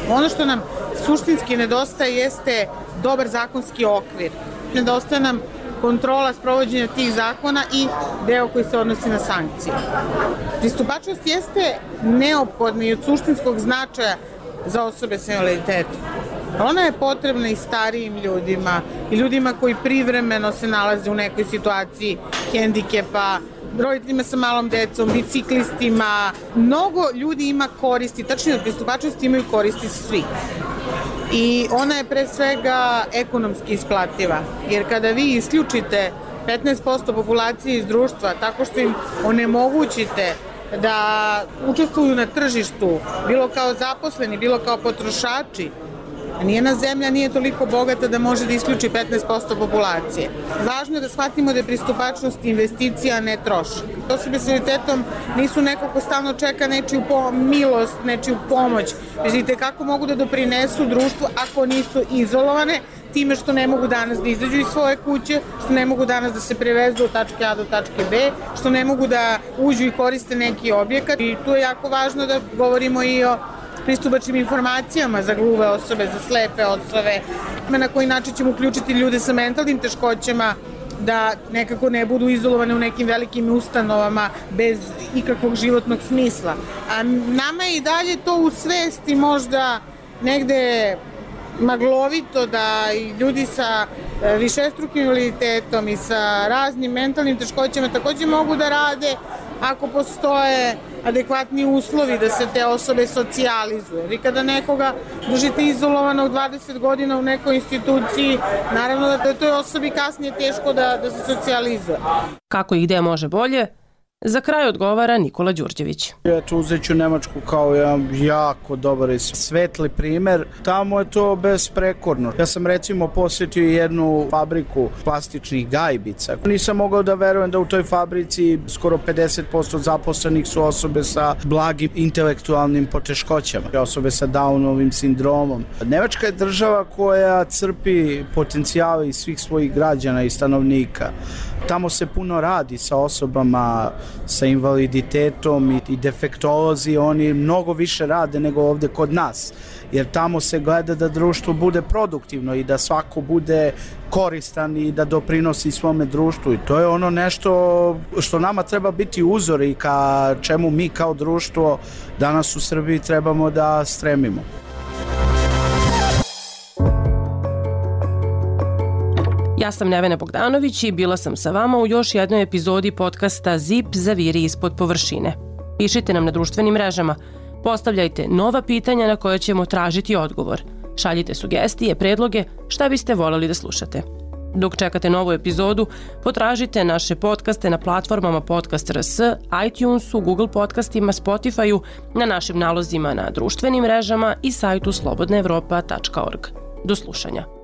Ono što nam suštinski nedostaje jeste dobar zakonski okvir. Nedostaje nam kontrola sprovođenja tih zakona i deo koji se odnosi na sankcije. Pristupačnost jeste neophodna i od suštinskog značaja za osobe sa invaliditetom. Ona je potrebna i starijim ljudima i ljudima koji privremeno se nalaze u nekoj situaciji hendikepa, roditeljima sa malom decom, biciklistima. Mnogo ljudi ima koristi, tačnije od pristupačnosti imaju koristi svi. I ona je pre svega ekonomski isplativa, jer kada vi isključite petnaest posto populacije iz društva tako što im onemogućite da učestvuju na tržištu, bilo kao zaposleni, bilo kao potrošači, nijena zemlja nije toliko bogata da može da isključi petnaest posto populacije. Važno je da shvatimo da je pristupačnost investicija, a ne trošak. Osobe s invaliditetom nisu neko ko stalno čeka nečiju milost, nečiju pomoć. Vidite kako mogu da doprinesu društvu ako nisu izolovane, time što ne mogu danas da izađu iz svoje kuće, što ne mogu danas da se prevezu od tačke A do tačke B, što ne mogu da uđu i koriste neki objekat. I tu je jako važno da govorimo i o pristupačnim informacijama za gluve osobe, za slepe osobe, na koji način ćemo uključiti ljude sa mentalnim teškoćama da nekako ne budu izolovane u nekim velikim ustanovama bez ikakvog životnog smisla. A nama je i dalje to u svesti možda negde maglovito da i ljudi sa višestrukim invaliditetom i sa raznim mentalnim teškoćama takođe mogu da rade ako postoje adekvatni uslovi da se te osobe socijalizuju. Vi kada nekoga držite izolovanog dvadeset godina u nekoj instituciji, naravno da je toj osobi kasnije teško da, da se socijalizuje. Kako i gde može bolje? Za kraj odgovara Nikola Đurđević. Eto, uzet ću Nemačku kao jedan jako dobar i svetli primer. Tamo je to besprekorno. Ja sam recimo posjetio jednu fabriku plastičnih gajbica. Nisam mogao da verujem da u toj fabrici skoro pedeset posto zaposlenih su osobe sa blagim intelektualnim poteškoćama, osobe sa Downovim sindromom. Nemačka je država koja crpi potencijale iz svih svojih građana i stanovnika. Tamo se puno radi sa osobama sa invaliditetom i defektolozi, oni mnogo više rade nego ovde kod nas, jer tamo se gleda da društvo bude produktivno i da svako bude koristan i da doprinosi svome društvu, i to je ono nešto što nama treba biti uzor i ka čemu mi kao društvo danas u Srbiji trebamo da stremimo. Ja sam Nevena Bogdanović i bila sam sa vama u još jednoj epizodi podcasta Zip zaviri ispod površine. Pišite nam na društvenim mrežama, postavljajte nova pitanja na koje ćemo tražiti odgovor. Šaljite sugestije, predloge, šta biste voleli da slušate. Dok čekate novu epizodu, potražite naše podcaste na platformama Podcast R S, iTunesu, Google podcastima, Spotifyu, na našim nalozima na društvenim mrežama i sajtu slobodna evropa tačka org. Do slušanja.